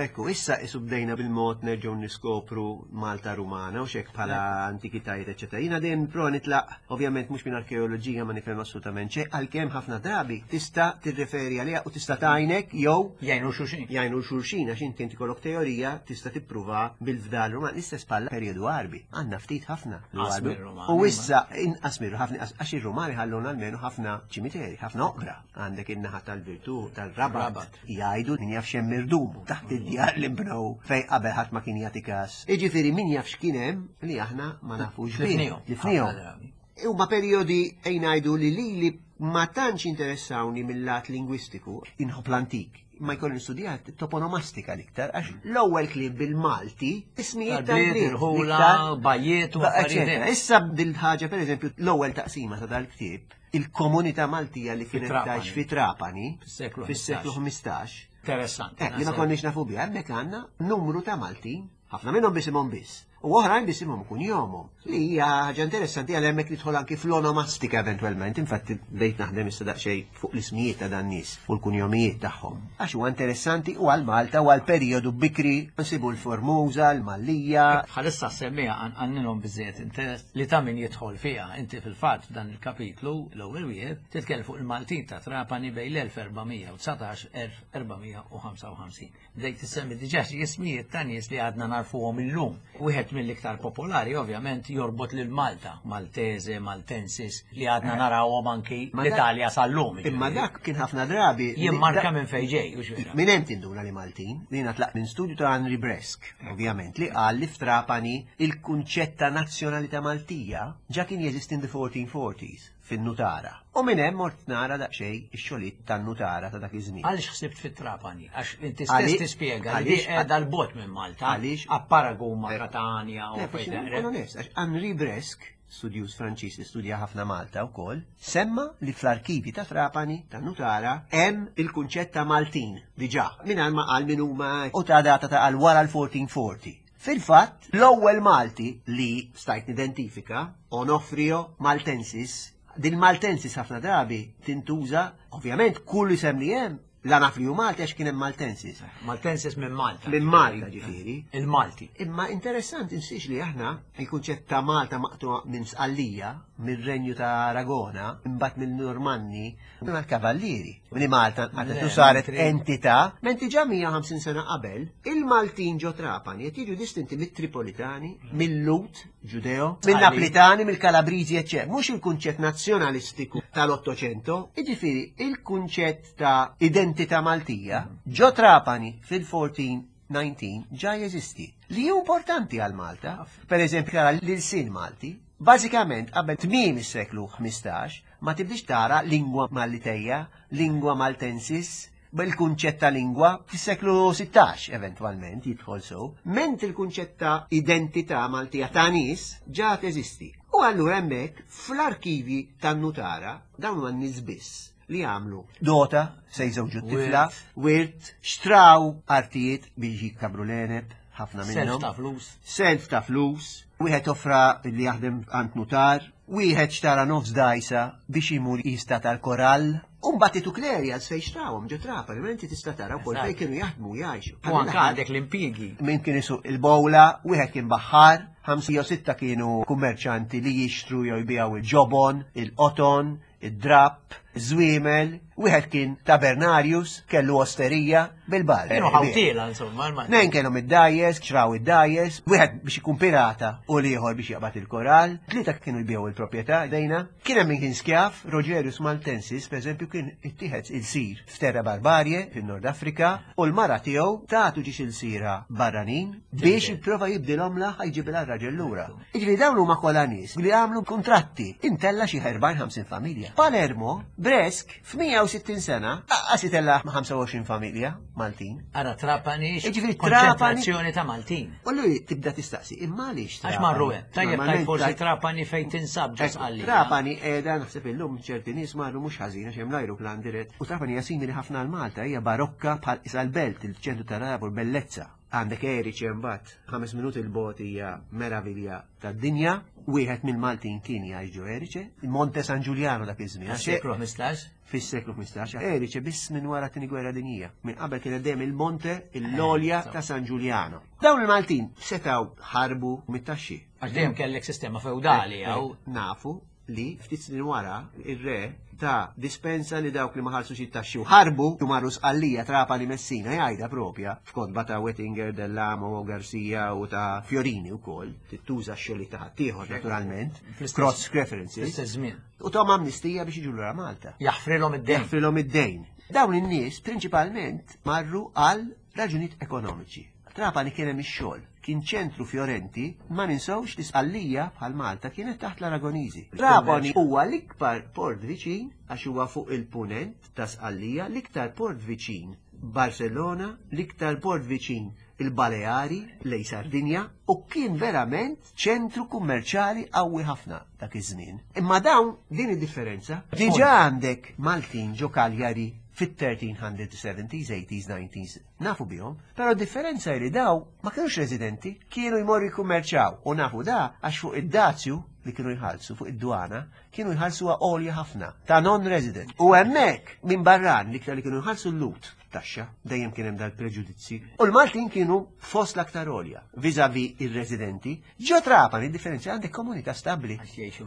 Ekku, issa isu bdejna bil-mod nerġgħu niskopru Malta Rumana u xek bħala antikitajiet, eċetera. Jiena dejjem pro nitlaq, ovvjament mhux minn arkeoloġija ma nifhem assolutament xejn, għalkemm ħafna drabi tista' tirreferi għaliha u tista' tgħinek jew Jgħinu xulxin. Jgħinu xulxin għax inti inti kollok teorija tista' tippruva bil-fdal Ruman l-istess bħala perjodu Għarbi. Għandna ftit ħafna. Inqas mir-Rumani. U issa inqas mir ħafna għax ir-Rumani ħalluna almenu ħafna ċimiteri, ħafna oqbra. Għandek in-naħa tal-Virtù, tal-Rabat, jgħidu min jaf x'hemm irdum taħt id-djar li nbnew fejn qabel ħadd ma kien jagħti każ. Jiġifieri min jaf x'kien hemm li aħna ma nafux bih. Tlifnihom. Huma perjodi ejn ngħidu li lili ma tantx interessawni mill-lat lingwistiku, inħobb l-antik. Ma jkolli nistudja toponomastika l-iktar, għax l-ewwel kliem bil-Malti, ismijiet tal-bliet, irħula, bajjiet u affarijiet. Issa bil-ħaġa, pereżempju, l-ewwel taqsima ta' dal-ktieb, il-komunità Maltija li kienet tgħix fi Trapani fis-seklu 15. Interessanti. Eh, li ma konniex nafu biha, hemmhekk għandna numru ta' Maltin, ħafna minnhom bisimhom biss, u oħrajn bisimhom kunjomhom. Li hija ħaġa interessanti għal hemmhekk nidħol anki fl-onomastika eventwalment, infatti bdejt naħdem issa daqsxejn fuq l-ismijiet ta' dan nies u l-kunjomijiet tagħhom. Għax huwa interessanti u għal Malta u għal perjodu bikri nsibu l-Formusa, l-Mallija. Bħalissa semmija għanninhom biżejjed interess li ta' min jidħol fiha. Inti fil-fatt f'dan il-kapitlu l-ewwel wieħed titkellem fuq il-Maltin ta' Trapani bejn l-1419 1455. Bdejt issemmi diġà xi ismijiet ta' nies li għadna narfuhom illum. Wieħed mill-iktar popolari ovvjament jorbot lil Malta, Maltese, Maltensis, li għadna eh. narawhom anki l-Italja sal-lum. Imma dak kien ħafna drabi. Jimmarka minn fejn ġej, u xwera. Minn hemm tinduna li Maltin, li tlaq minn studju ta' Henri Bresk, ovvjament, li qal li f'Trapani il-kunċett ta' nazzjonalità Maltija ġa kien jeżisti in the 1440s. fin-nutara. U minn hemm mort nara daqsxejn ix-xogħlijiet tan-nutara ta' dak iż-żmien. Għaliex ħsibt fit-Trapani? Għax inti stess tispjega li qiegħda 'l bogħod minn Malta, apparagun ma' Katanja u fejn. Onest, għax Henri Bresk studjuż Franċiż li studja ħafna Malta wkoll, semma li fl-arkivi ta' Trapani ta' Nutara hemm il-kunċett ta' Maltin diġà mingħajr ma qal min huma u ta' data ta' għal wara l-1440. Fil-fatt, l-ewwel Malti li stajt nidentifika, Onofrio Maltensis, din Maltensis ħafna drabi tintuża, ovvjament kull isem li hemm La naf li hu Malti għax kien hemm Maltensis. Maltensis minn Malta. Minn Malta ġifieri. Il-Malti. Imma interessanti nsiex li aħna il-kunċett ta' Malta maqtu minn Sqallija, mir-Renju ta' Aragona, imbagħad mill-Normanni, mal-Kavallieri. Li Malta għadet saret entità, mentri ġa 150 sena qabel, il-Maltin ġo Trapani qed jiġu distinti mit-Tripolitani, mill-Lut, Ġudeo, mill-Naplitani, mill-Kalabriżi, eċċ. Mhux il-kunċett nazzjonalistiku tal-Ottocento, jiġifieri il-kunċett ta' identità Maltija ġo Trapani fil-1419 ġa jeżisti. Li hu importanti għal Malta, per eżempju tara l-ilsien Malti, bażikament qabel tmiem is-seklu 15 ma tibdix tara lingwa Maliteja, lingwa Maltensis, bil-kunċett ta' lingwa fis-seklu 16 eventwalment jidħol sew, ment il-kunċett ta' identità Maltija ta' nies ġa teżisti. U allura hemmhekk fl-arkivi tan-nutara dawn huma n-nies biss li għamlu dota se jżewġu t-tifla, wirt, xtraw artijiet biex jikkabru l-għeneb, ħafna minnhom. Self ta' flus. Self ta' flus, wieħed offra li jaħdem għand nutar, wieħed xtara nofs dajsa biex imur jista tal-korall. Umbat itu klerjals fejn xtrawhom ġo Trapani, ma inti tista' tara wkoll fejn kienu jaħdmu jgħixu. U anke għandek l-impjiegi. Min kien isuq il-bowla, wieħed kien baħħar, ħamsa jew sitta kienu kummerċanti li jixtru jew jbiegħu il-ġobon, il-qoton, id-drapp, żwiemel, wieħed kien tabernarius, kellu osterija bil-bar. Kienu ħawtiela insomma. Nejn kellhom id-dajes, xraw id-dajes, wieħed biex ikun pirata u l-ieħor biex jaqbad il-koral, tlieta kienu jbigħu il-proprjetà dejna. Kien hemm min kien skjav, Rogerius Maltensis, pereżempju, kien ittieħed il-sir f'Terra Barbarie fin-Nord Afrika u l-mara tiegħu tagħtu ġiex il-sira barranin biex jipprova jibdilhom la ħajġibilha r-raġel lura. Jiġifieri dawn huma kollha nies li għamlu kuntratti intella xi 40-50 familja. Palermo, Bresk, f'160 sena, aqqas itella 25 familja Maltin. Ara Trapani, Jiġifieri konċentrazzjoni ta' Maltin. U lui tibda tistaqsi, imma għaliex Għax marru hemm. Tajjeb tajt forsi Trapani fejn tinsab ġo Sqallija. Trapani qiegħda naħseb illum ċerti nies marru mhux ħażin għax hemm l-ajruplan dirett. U Trapani hija simili ħafna għal Malta, hija barokka bħal isa l-belt, il-ċentru tar-Rabur, bellezza. Għandek Erice imbagħad, ħames minuti 'l bogħod hija meravilja tad-dinja. Wieħed mill-Maltin kien jgħix ġo Erice, Monte San Giuliano dak iż-żmien. Fis-seklu 15? Fis-seklu 15. Erice biss minn wara t-Tieni Gwerra Dinjija. Minn qabel kienet dejjem il-Monte, l-għolja ta' San Giuliano. Dawn il-Maltin setgħu ħarbu mit-taxxi. Għax dejjem kellek sistema feudali hawn. Nafu li ftit snin wara ir-re ta dispensa li dawk li ma ħarsux it-taxxi u ħarbu u marru Sqallija, Trapani, Messina, jgħidha propja f'kotba ta' Wettinger, Dell'Amo, Garcia u ta' Fiorini wkoll, tittuża x-xogħlijiet ta' ħaddieħor naturalment, cross references. Fl-istess żmien. U tahom amnistija biex jiġu lura Malta. Jaħfrilhom id-dejn. Jaħfrilhom id-dejn. Dawn in-nies prinċipalment marru għal raġunijiet ekonomiċi. Trapani kien hemm ix-xogħol, kien ċentru fjorenti, ma ninsewx li Sqallija bħal Malta kienet taħt l-Aragoniżi. Trapani huwa l-ikbar port viċin għax huwa fuq il-punent ta' Sqallija, l-iktar port viċin Barcellona, l-iktar port viċin il-Baleari lejn Sardinja u kien verament ċentru kummerċjali qawwi ħafna dak iż-żmien. Imma dawn din id-differenza diġà għandek Maltin ġo Cagliari fit-1370s, 80s, 90s Nafu bihom, però d-differenza hi li daw ma kinux residenti, kienu jmorru jikkummerċjaw u nafu da għax fuq id-dazju li kienu jħallsu fuq id-dwana kienu jħallsuha għolja ħafna ta' non-resident. U hemmhekk minn barran l-iktar li kienu jħallsu l-Lhud taxxa, dejjem kien hemm dal-preġudizzji. U l-Maltin kienu fost l-aktar għolja vis-à-vis ir-residenti. Ġo Trapani, differenza għandek komunità stabbli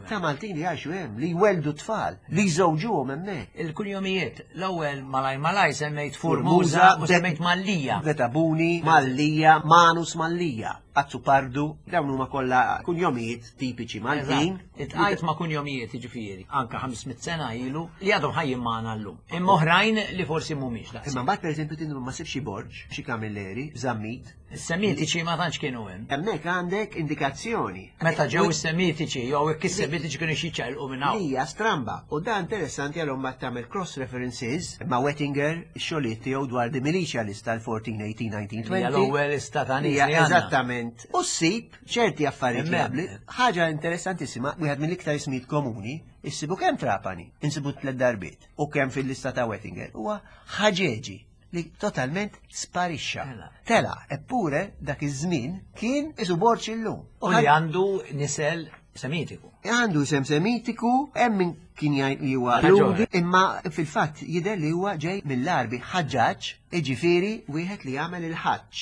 ta' Maltin li jgħixu hemm, li jwelldu tfal, li jżewġuhom hemmhekk. Il-kunjomijiet, l-ewwel malaj malaj semmejt Formusa u semmejt Mallija. Betabuni, Mallija, Manus Mallija, Azzupardu, dawn huma kollha kunjomijiet tipiċi Maltin. Itqajt ma' kunjomijiet jiġifieri, anka 500 sena ilu li għadhom ħajjin magħna llum. Imma oħrajn li forsi mhumiex daqs. Imma mbagħad pereżempju tindu ma sibx xi Borg, xi Camilleri, Zammit. Is-Semitiċi ma tantx kienu hemm. Hemmhekk għandek indikazzjoni. Meta ġew is-Semitiċi jew hekk is-Semitiċi kienu jiċċaqilqu minn hawn. Hija stramba u dan interessanti għalhom ma tagħmel cross references ma' Wettinger ix-xogħlijiet tiegħu dwar the militia list tal-14, 18, 19, Hija 20. l-ewwel lista ta' nies Hija li għandna. eżattament. U ssib ċerti affarijiet Hemmhekk. jaqbli. Ħaġa interessantissima, wieħed mill-iktar ismijiet komuni, issibu kemm Trapani, insibu tliet darbiet, u kemm fil-lista ta' Wettinger, huwa ħaġeġi li totalment sparixxa. Tela. Tela, eppure dak iż-żmien kien isu borċ illum. U li għandu nisel Semitiku. Għandu isem semitiku, hemm min kien jgħid li huwa Ħaġa Lhudi, imma fil-fatt jidher li huwa ġej mill-Arbi ħaġġaġ, jiġifieri wieħed li jagħmel il-ħaġġ,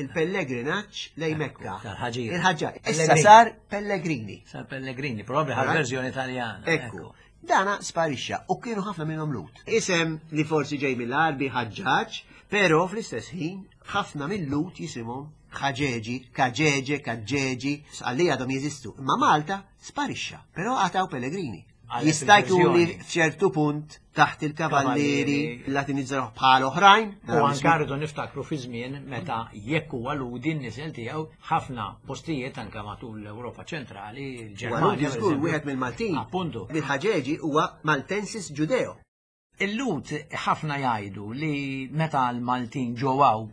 il-pellegrinaġġ lejn Mekka. Tal-ħaġir. Il-ħaġġaġ. Issa Pellegrini. sar Pellegrini. Sar Pellegrini, probabbli ħal Right. verżjoni Taljana. Ekku. Dana sparixxa u kienu ħafna minnhom Lut. Isem li forsi ġej mill-Arbi ħaġġaġ, però fl-istess ħin ħafna mill-Lut jisimhom ħaġeġi, kaġeġe, kaġġeġi, għalli għadhom jeżistu. Imma Malta sparixxa, però għataw Pellegrini. Għalhekk Jista' jkun li il-verżjoni. f'ċertu punt taħt il-kavallieri Kavallieri. latinizzaw bħal oħrajn. U anka rridu niftakru fi żmien meta jekk huwa ludi n-nisel tiegħu ħafna postijiet anke matul l-Ewropa ċentrali, il-Ġermanja. Ġermanja, per żgur eżempju. wieħed mill-Maltin. Appuntu. Mill-ħaġeġi huwa Maltensis Ġudeo. Il-Lut ħafna jgħidu li meta l-Maltin ġowaw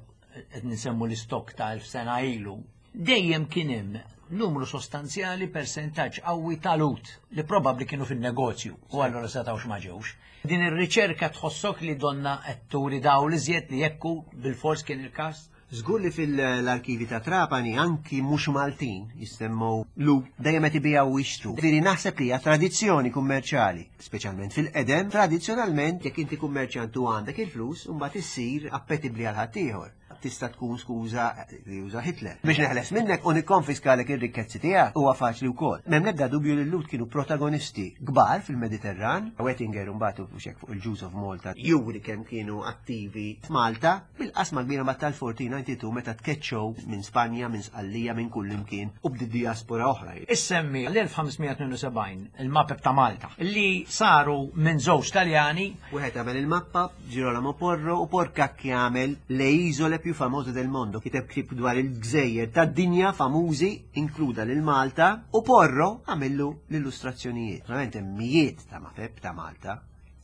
qed nisemmu l-istok ta' elf sena ilu, dejjem kien hemm numru sostanzjali persentaġġ qawwi ta' Lut li probabbli kienu fin-negozju u allura setgħux ma ġewx. Din ir-riċerka tħossok li donna qed turi dawl iżjed li jekku bil-fors kien il-każ? Żgur li fil-arkivi ta' Trapani anki mhux Maltin jissemmew lu dejjem qed ibijaw u jixtru. Ġifieri naħseb li hija tradizzjoni kummerċjali, speċjalment fil-qedem, tradizzjonalment jekk inti kummerċjant u għandek il-flus, mbagħad issir appetibbli għal ħaddieħor. Tista' tkun skuża li juża Hitler. Biex neħles minnek u nikkonfiskalek ir-rikkezzi tiegħek huwa faċli wkoll. M'hemm l-ebda dubju li l-Lut kienu protagonisti kbar fil-Mediterran. Wettinger mbagħad u xek fuq il-Jews of Malta juri kemm kienu attivi f'Malta bil-qasma kbira ma tal-1492 meta tkeċċew minn Spanja, minn Sqallija, minn kull imkien u bdiet diaspora oħra. Issemmi l-1572 il-mapep ta' Malta li saru minn żewġ Taljani Wieħed għamel il-mappa, Girolamo Porro u Porcacchi għamel le isole più famose del mondo, kiteb ktieb dwar il-gżejjer tad-dinja famużi, inkluda lil Malta, u Porro għamillu l-illustrazzjonijiet. Verament hemm mijiet ta' mapep ta' Malta.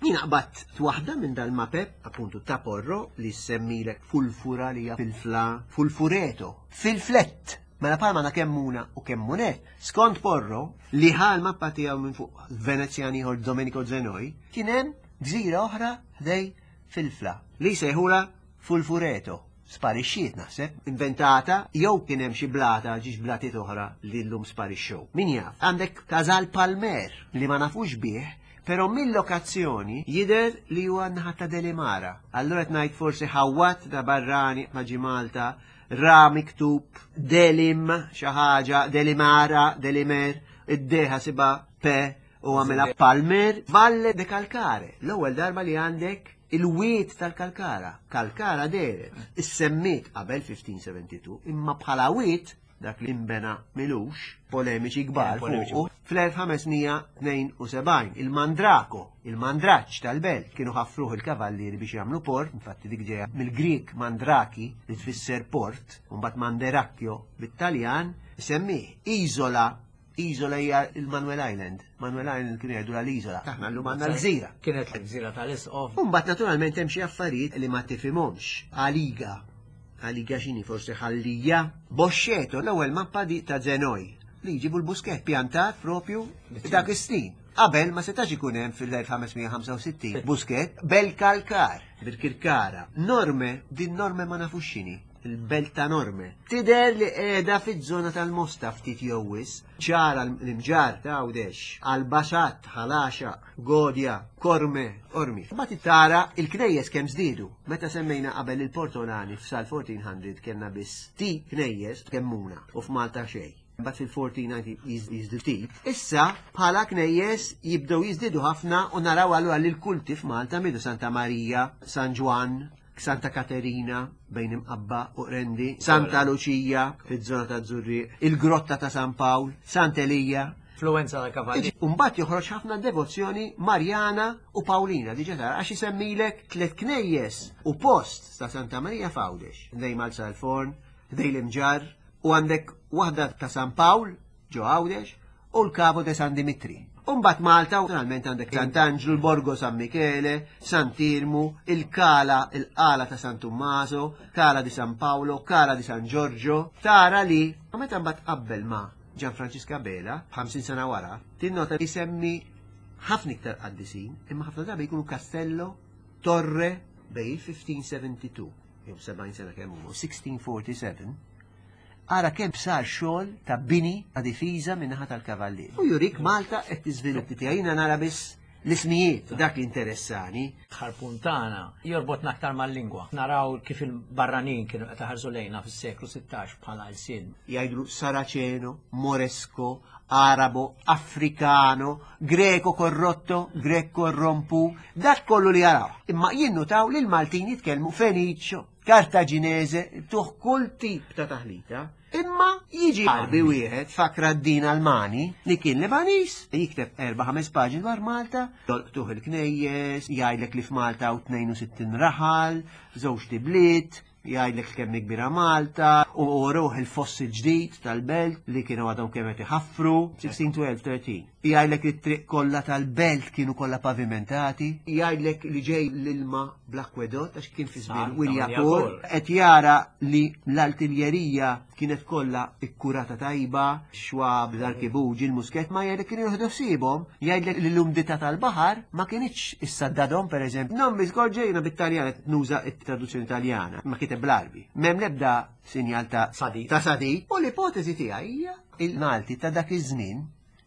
Jien qbadt waħda minn dal-mapep, appuntu ta' Porro, li semmilek fulfura li hija filfla, fulfureto, filflett. Mela palma na kemmuna u kemmunet. Skont Porro, li ħa l-mappa tiegħu minn fuq Venezjan ieħor Domenico Zenoi, kien hemm gżira oħra ħdej filfla li sejħula Fulfureto. Sparixxiet naħseb, inventata, jew kien hemm xi blata, ġiex blatiet oħra li llum sparixxew. Min jaf, għandek Casal Palmer li ma nafux bih, però mill-lokazzjoni jidher li huwa naħa ta' Delimara. Allura qed ngħid forsi ħawat ta' barrani ma ġi Malta, ra miktub Delim xi ħaġa, Delimara, Delimer, id-deħa siba pe u għamela Palmer, Valle de Calcare. L-ewwel darba li għandek il-wiet tal-Kalkara. Kalkara deret. Issemmiet qabel 1572, imma bħala wiet dak li imbena milux, polemiċi kbar Polemiċi. fuqu, fl-1572 il-Mandrako, il-Mandraċ tal-belt, kienu ħaffruh il-kavallieri biex jagħmlu port, infatti dik ġejja mill-Grieg Mandraki li tfisser port, u mbagħad Manderacchio bit-Taljan, semmih Isola. Isola hija il-Manuel Island. Manuel Island kienu jgħidu l-Isola. Aħna llum għandna l-gżira. Kienet l-gżira tal-Isqof. Umbat naturalment hemm xi affarijiet li ma tifhimhomx. Għaliga. Għaliga x'inhi forsi ħallija. Boxxeto l-ewwel mappa di ta' Zenoj li jġibu l-busket pjantat propju dak is-snin. Qabel ma setax ikun hemm fil-1565 busket bel-kalkar, bil-kirkara. Norme, din norme ma nafux x'inhi. Il-belt ta' Norme. Tidher li qiegħda fiż-żona tal-Mosta ftit jew wis, ċara l-imġar ta' Għawdex, Albaxat, Ħalaxa, Godja, Korme, Ormi. Mbagħad tara il-knejjes kemm żdiedu. Meta semmejna qabel il-Portolani f'sal 1400 kellna biss ti knejjes kemmuna u f'Malta xejn. Mbagħad fil-1490 jiżdiedu ftit. Issa bħala knejjes jibdew jiżdiedu ħafna u naraw allura li l-kulti f'Malta midu Santa Marija, San Ġwann, Santa Katerina bejn Imqabba u Qrendi, Santa Luċija fiż-żona ta' Żurrieq, il-Grotta ta' San Pawl, Sant'Elija. Influenza ta' kavalli. Umbat joħroġ ħafna devozzjoni Marjana u Pawlina, diġa tara, għax isemmilek tliet knejjes u post ta' Santa Marija f'Għawdex. Dejjem għal Salforn, ħdejn l-Imġarr, u għandek waħda ta' San Pawl ġo Għawdex u l-Cavo de San Dimitri. U mbagħad Malta naturalment għandek Sant'Anġlu, l-Borgo San Michele, Sant'Irmu, il-Kala, il-Qala ta' San Tommaso, Kala di San Paolo, Kala di San Giorgio. Tara li meta mbagħad tqabbel ma' Gian Francisca Bela, 50 sena wara, tinnota li jsemmi ħafna iktar qaddisin, imma ħafna drabi jkunu Castello, Torre, bejn il-1572, jew 70 sena kemm huma, 1647, ara kemm sar xogħol ta' bini ta' difiża min-naħa tal-kavallier. U jurik Malta qed tiżviluppi tiegħi jiena nara biss l-ismijiet dak li interessani. Ħarpuntana jorbotna aktar mal-lingwa. Naraw kif il-barranin kienu qed iħarsu lejna fis-seklu 16 bħala ilsien. Jgħidlu Saraceno, Moresco, Arabo, Afrikano, Greco korrotto, Grek korrompu, dak kollu li jaraw. Imma jinnutaw li l-Maltin jitkellmu Feniċċo, Kartaġinese, tuħ kull tip ta' taħlita. Imma jiġi Għarbi wieħed Fakraddin Almani li kien Lebaniż, jikteb erba' ħames paġni dwar Malta, jolqtuh il-knejjes, jgħidlek li f'Malta hawn 62 raħal, żewġ tibliet, jgħidlek kemm hi kbira Malta, u uruh il-foss il-ġdid tal-belt li kienu għadhom kemm qed iħaffru, 1612 13. Jgħidlek li t-triq kollha tal-belt kienu kollha pavimentati, jgħidlek li ġej l-ilma bl-akwedott għax kien fi żmien Wiliakur, qed jara li l-artiljerija kienet kollha ikkurata tajba, xwab, l-arkibuġi, il-musket, ma jgħidlek kienu jieħdu ħsiebhom, jgħidlek li l-umdità tal-baħar ma kinitx issaddadhom pereżempju. Non mi ġejna bit-Taljan qed nuża t-traduzzjoni Taljana, ma kiteb bl-Għarbi. M'hemm l-ebda sinjal ta' Sadid. Ta' sadid. U l-ipoteżi tiegħi hija il-Malti ta' dak iż-żmien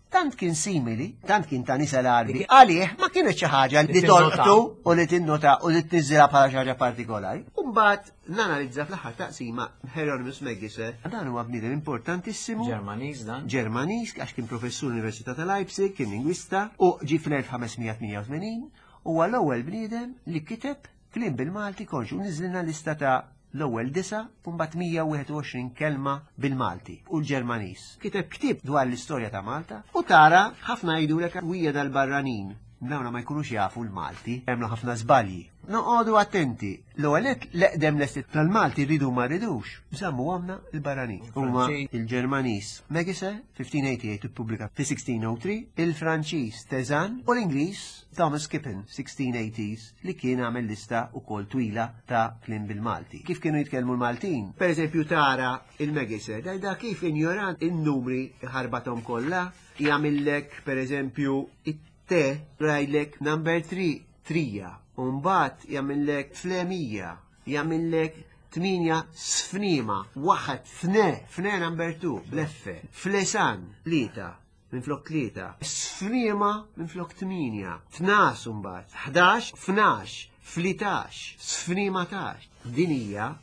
tant kien simili, tant kien ta' nisel Għarbi, għalih ma kienet xi ħaġa li tolqtu u li tinnota u li tniżżilha bħala xi ħaġa partikolari. U mbagħad nanalizza fl-aħħar taqsima Hieronymus Megiser. Dan huwa bniedem importantissimu. Ġermaniż dan. Ġermaniż għax kien professur l-Università ta' Leipzig, kien lingwista u ġie fl-1588 huwa l-ewwel bniedem li kiteb kliem bil-Malti konxu niżlilna lista ta' l-ewwel disa' u mbagħad 121 kelma bil-Malti u l-Ġermaniż. Kiteb ktieb dwar l-istorja ta' Malta u tara ħafna jgħidulek hija dal-barranin. Dawna ma jkunux jafu l-Malti, jagħmlu ħafna żbalji. Noqogħdu attenti. L-ewwel nett l-eqdem lesti tal-Malti rridu ma rridux, żammu għamna l-barranin. Huma il-Ġermaniż Megiser 1588 ippubblika fi 1603, il-Franċiż Tezan u l-Ingliż Thomas Kippen 1680s li kien għamel lista wkoll twila ta' kliem bil-Malti. Kif kienu jitkellmu l-Maltin? Per eżempju tara il-Megiser, da kif injorant in-numri ħarbathom kollha, jagħmillek per eżempju it-T jgħidlek number 3 trija, u mbagħad jagħmillek flemija, jagħmillek 8 sfnima, waħed fne, fne number 2, bleffe, flesan, tlieta, minflok 3, sfriema minflok 8, tnas imbagħad, 11, fnax, flitax, sfrimatax. Din hija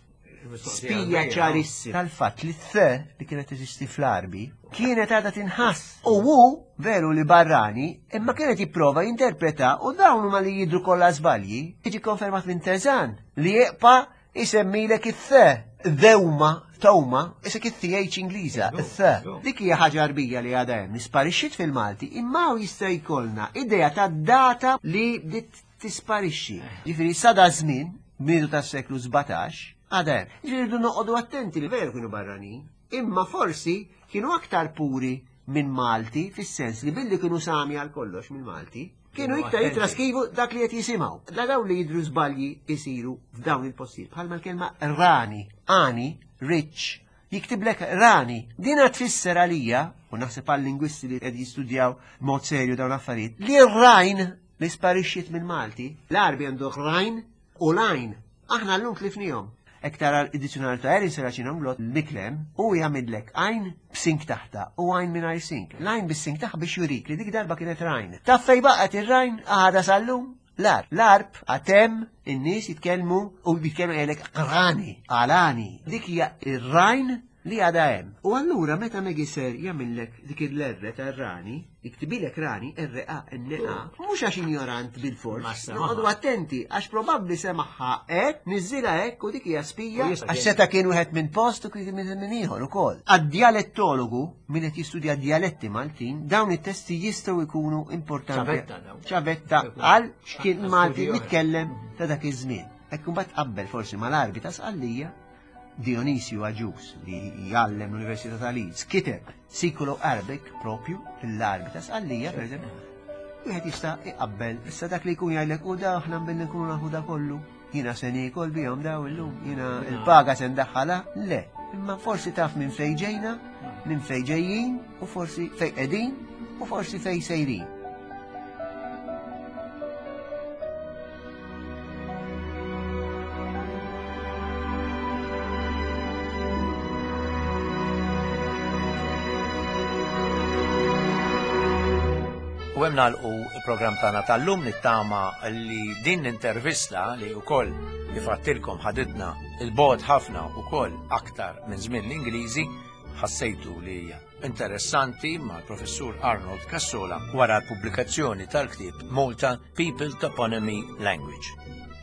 spija ċarissima tal-fatt li t li kienet teżisti fl-Għarbi kienet għadha tinħass. U hu veru li barrani, imma kienet jipprova jinterpreta u dawn huma li jidhru kollha żbalji, jiġi konfermat minn Teżan li jibqa' isemmilek it-the, dewma, tawma, isek it-th Ingliża, it-the. Dik hija ħaġa Għarbija li għadha hemm, isparixxiet fil-Malti, imma hawn jista' jkollna idea ta' data li bdiet tisparixxi. Ġifieri sa da żmien, bidu tas-seklu 17, għadha hemm. Ġifieri rridu noqogħdu attenti li veru kienu barranin, imma forsi kienu aktar puri minn Malti fis-sens li billi kienu sami għal kollox mill-Malti, kienu iktar jitraskrivu dak li qed jisimgħu. La dawn li jidhru żbalji jsiru f'dawn il-postijiet bħalma l-kelma rani, ani, rich, jiktiblek rani. Dina tfisser għalija, u naħseb għal lingwisti li qed jistudjaw b'mod serju dawn l-affarijiet, li r-rajn li sparixxiet mill-Malti, l-Għarbi għandu rajn u lajn. Aħna llum tlifnihom. Hekk tara l-dizzjonarju ta' Erin Serracino Inglott l-Miklem u jagħmillek għajn b'sink taħta u għajn mingħajr sink. L-għajn bis-sink taħ biex jurik li dik darba kienet rajn. Taf fejn baqgħet ir-rajn għadha sal-lum? L-arb. L-arb għad hemm in-nies jitkellmu u jitkellmu jgħidlek qrani, qalani. Dik hija ir-rajn li għadha hemm. U allura meta Megiser jagħmillek dik il-erre tar-rani, jiktibilek rani, R-A-N-A, mhux għax injorant bil-fors. Noqogħdu attenti għax probabbli semagħha hekk, niżżilha hekk u dik hija spija għax seta' kien wieħed minn post u kien minn ieħor ukoll. Għad-dialettologu, min qed jistudja dialetti Maltin, dawn it-testi jistgħu jkunu importanti. Ċavetta għal x'kien Malti mitkellem ta' dak iż-żmien. Hekk imbagħad qabbel forsi mal-Għarbi ta' Sqallija. Dionisju Agius li jgħallem l-Università ta' Leeds kiteb Siculo Arabic propju fil-Għarbi ta' Sqallija, per eżempju, wieħed jista' iqabbel issa dak li jkun jgħidlek u da aħna billi nkunu nafu da kollu. Jiena se niekol bihom daw illum, jiena il-paga se ndaħħalha, le. Imma forsi taf minn fejn ġejna, minn fejn ġejjin, u forsi fejn qegħdin, u forsi fejn sejrin. U hemm nagħlqu l-programm tagħna tal-lum nittama li din l-intervista li wkoll kif għattilkom ħaditna il-bogħod ħafna wkoll aktar minn żmien l-Ingliżi ħassejtu li hija interessanti mal-Professur Arnold Cassola wara l-pubblikazzjoni tal-ktieb Malta People Toponymy Language.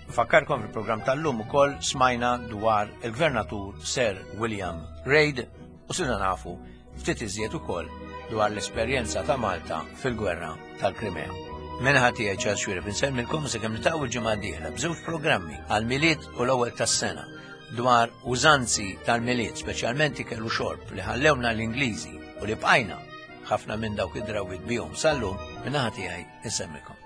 Nfakkarkom fil-programm tal-lum ukoll smajna dwar il-Gvernatur Sir William Reid u sirna nafu ftit iżjed ukoll dwar l-esperjenza ta' Malta fil-gwerra tal-Krimea. Minħa tiegħi Charles Xuereb insellmilkom sakemm niltaqgħu l-ġimgħa d-dieħla b'żewġ programmi għall-Milied u l-ewwel tas-sena dwar użanzi tal-Milied, speċjalment ikel u xorb li ħallewna l-Ingliżi u li bqajna ħafna minn dawk id-drawwiet bihom sal-lum, min-naħa tiegħi insemmilkom.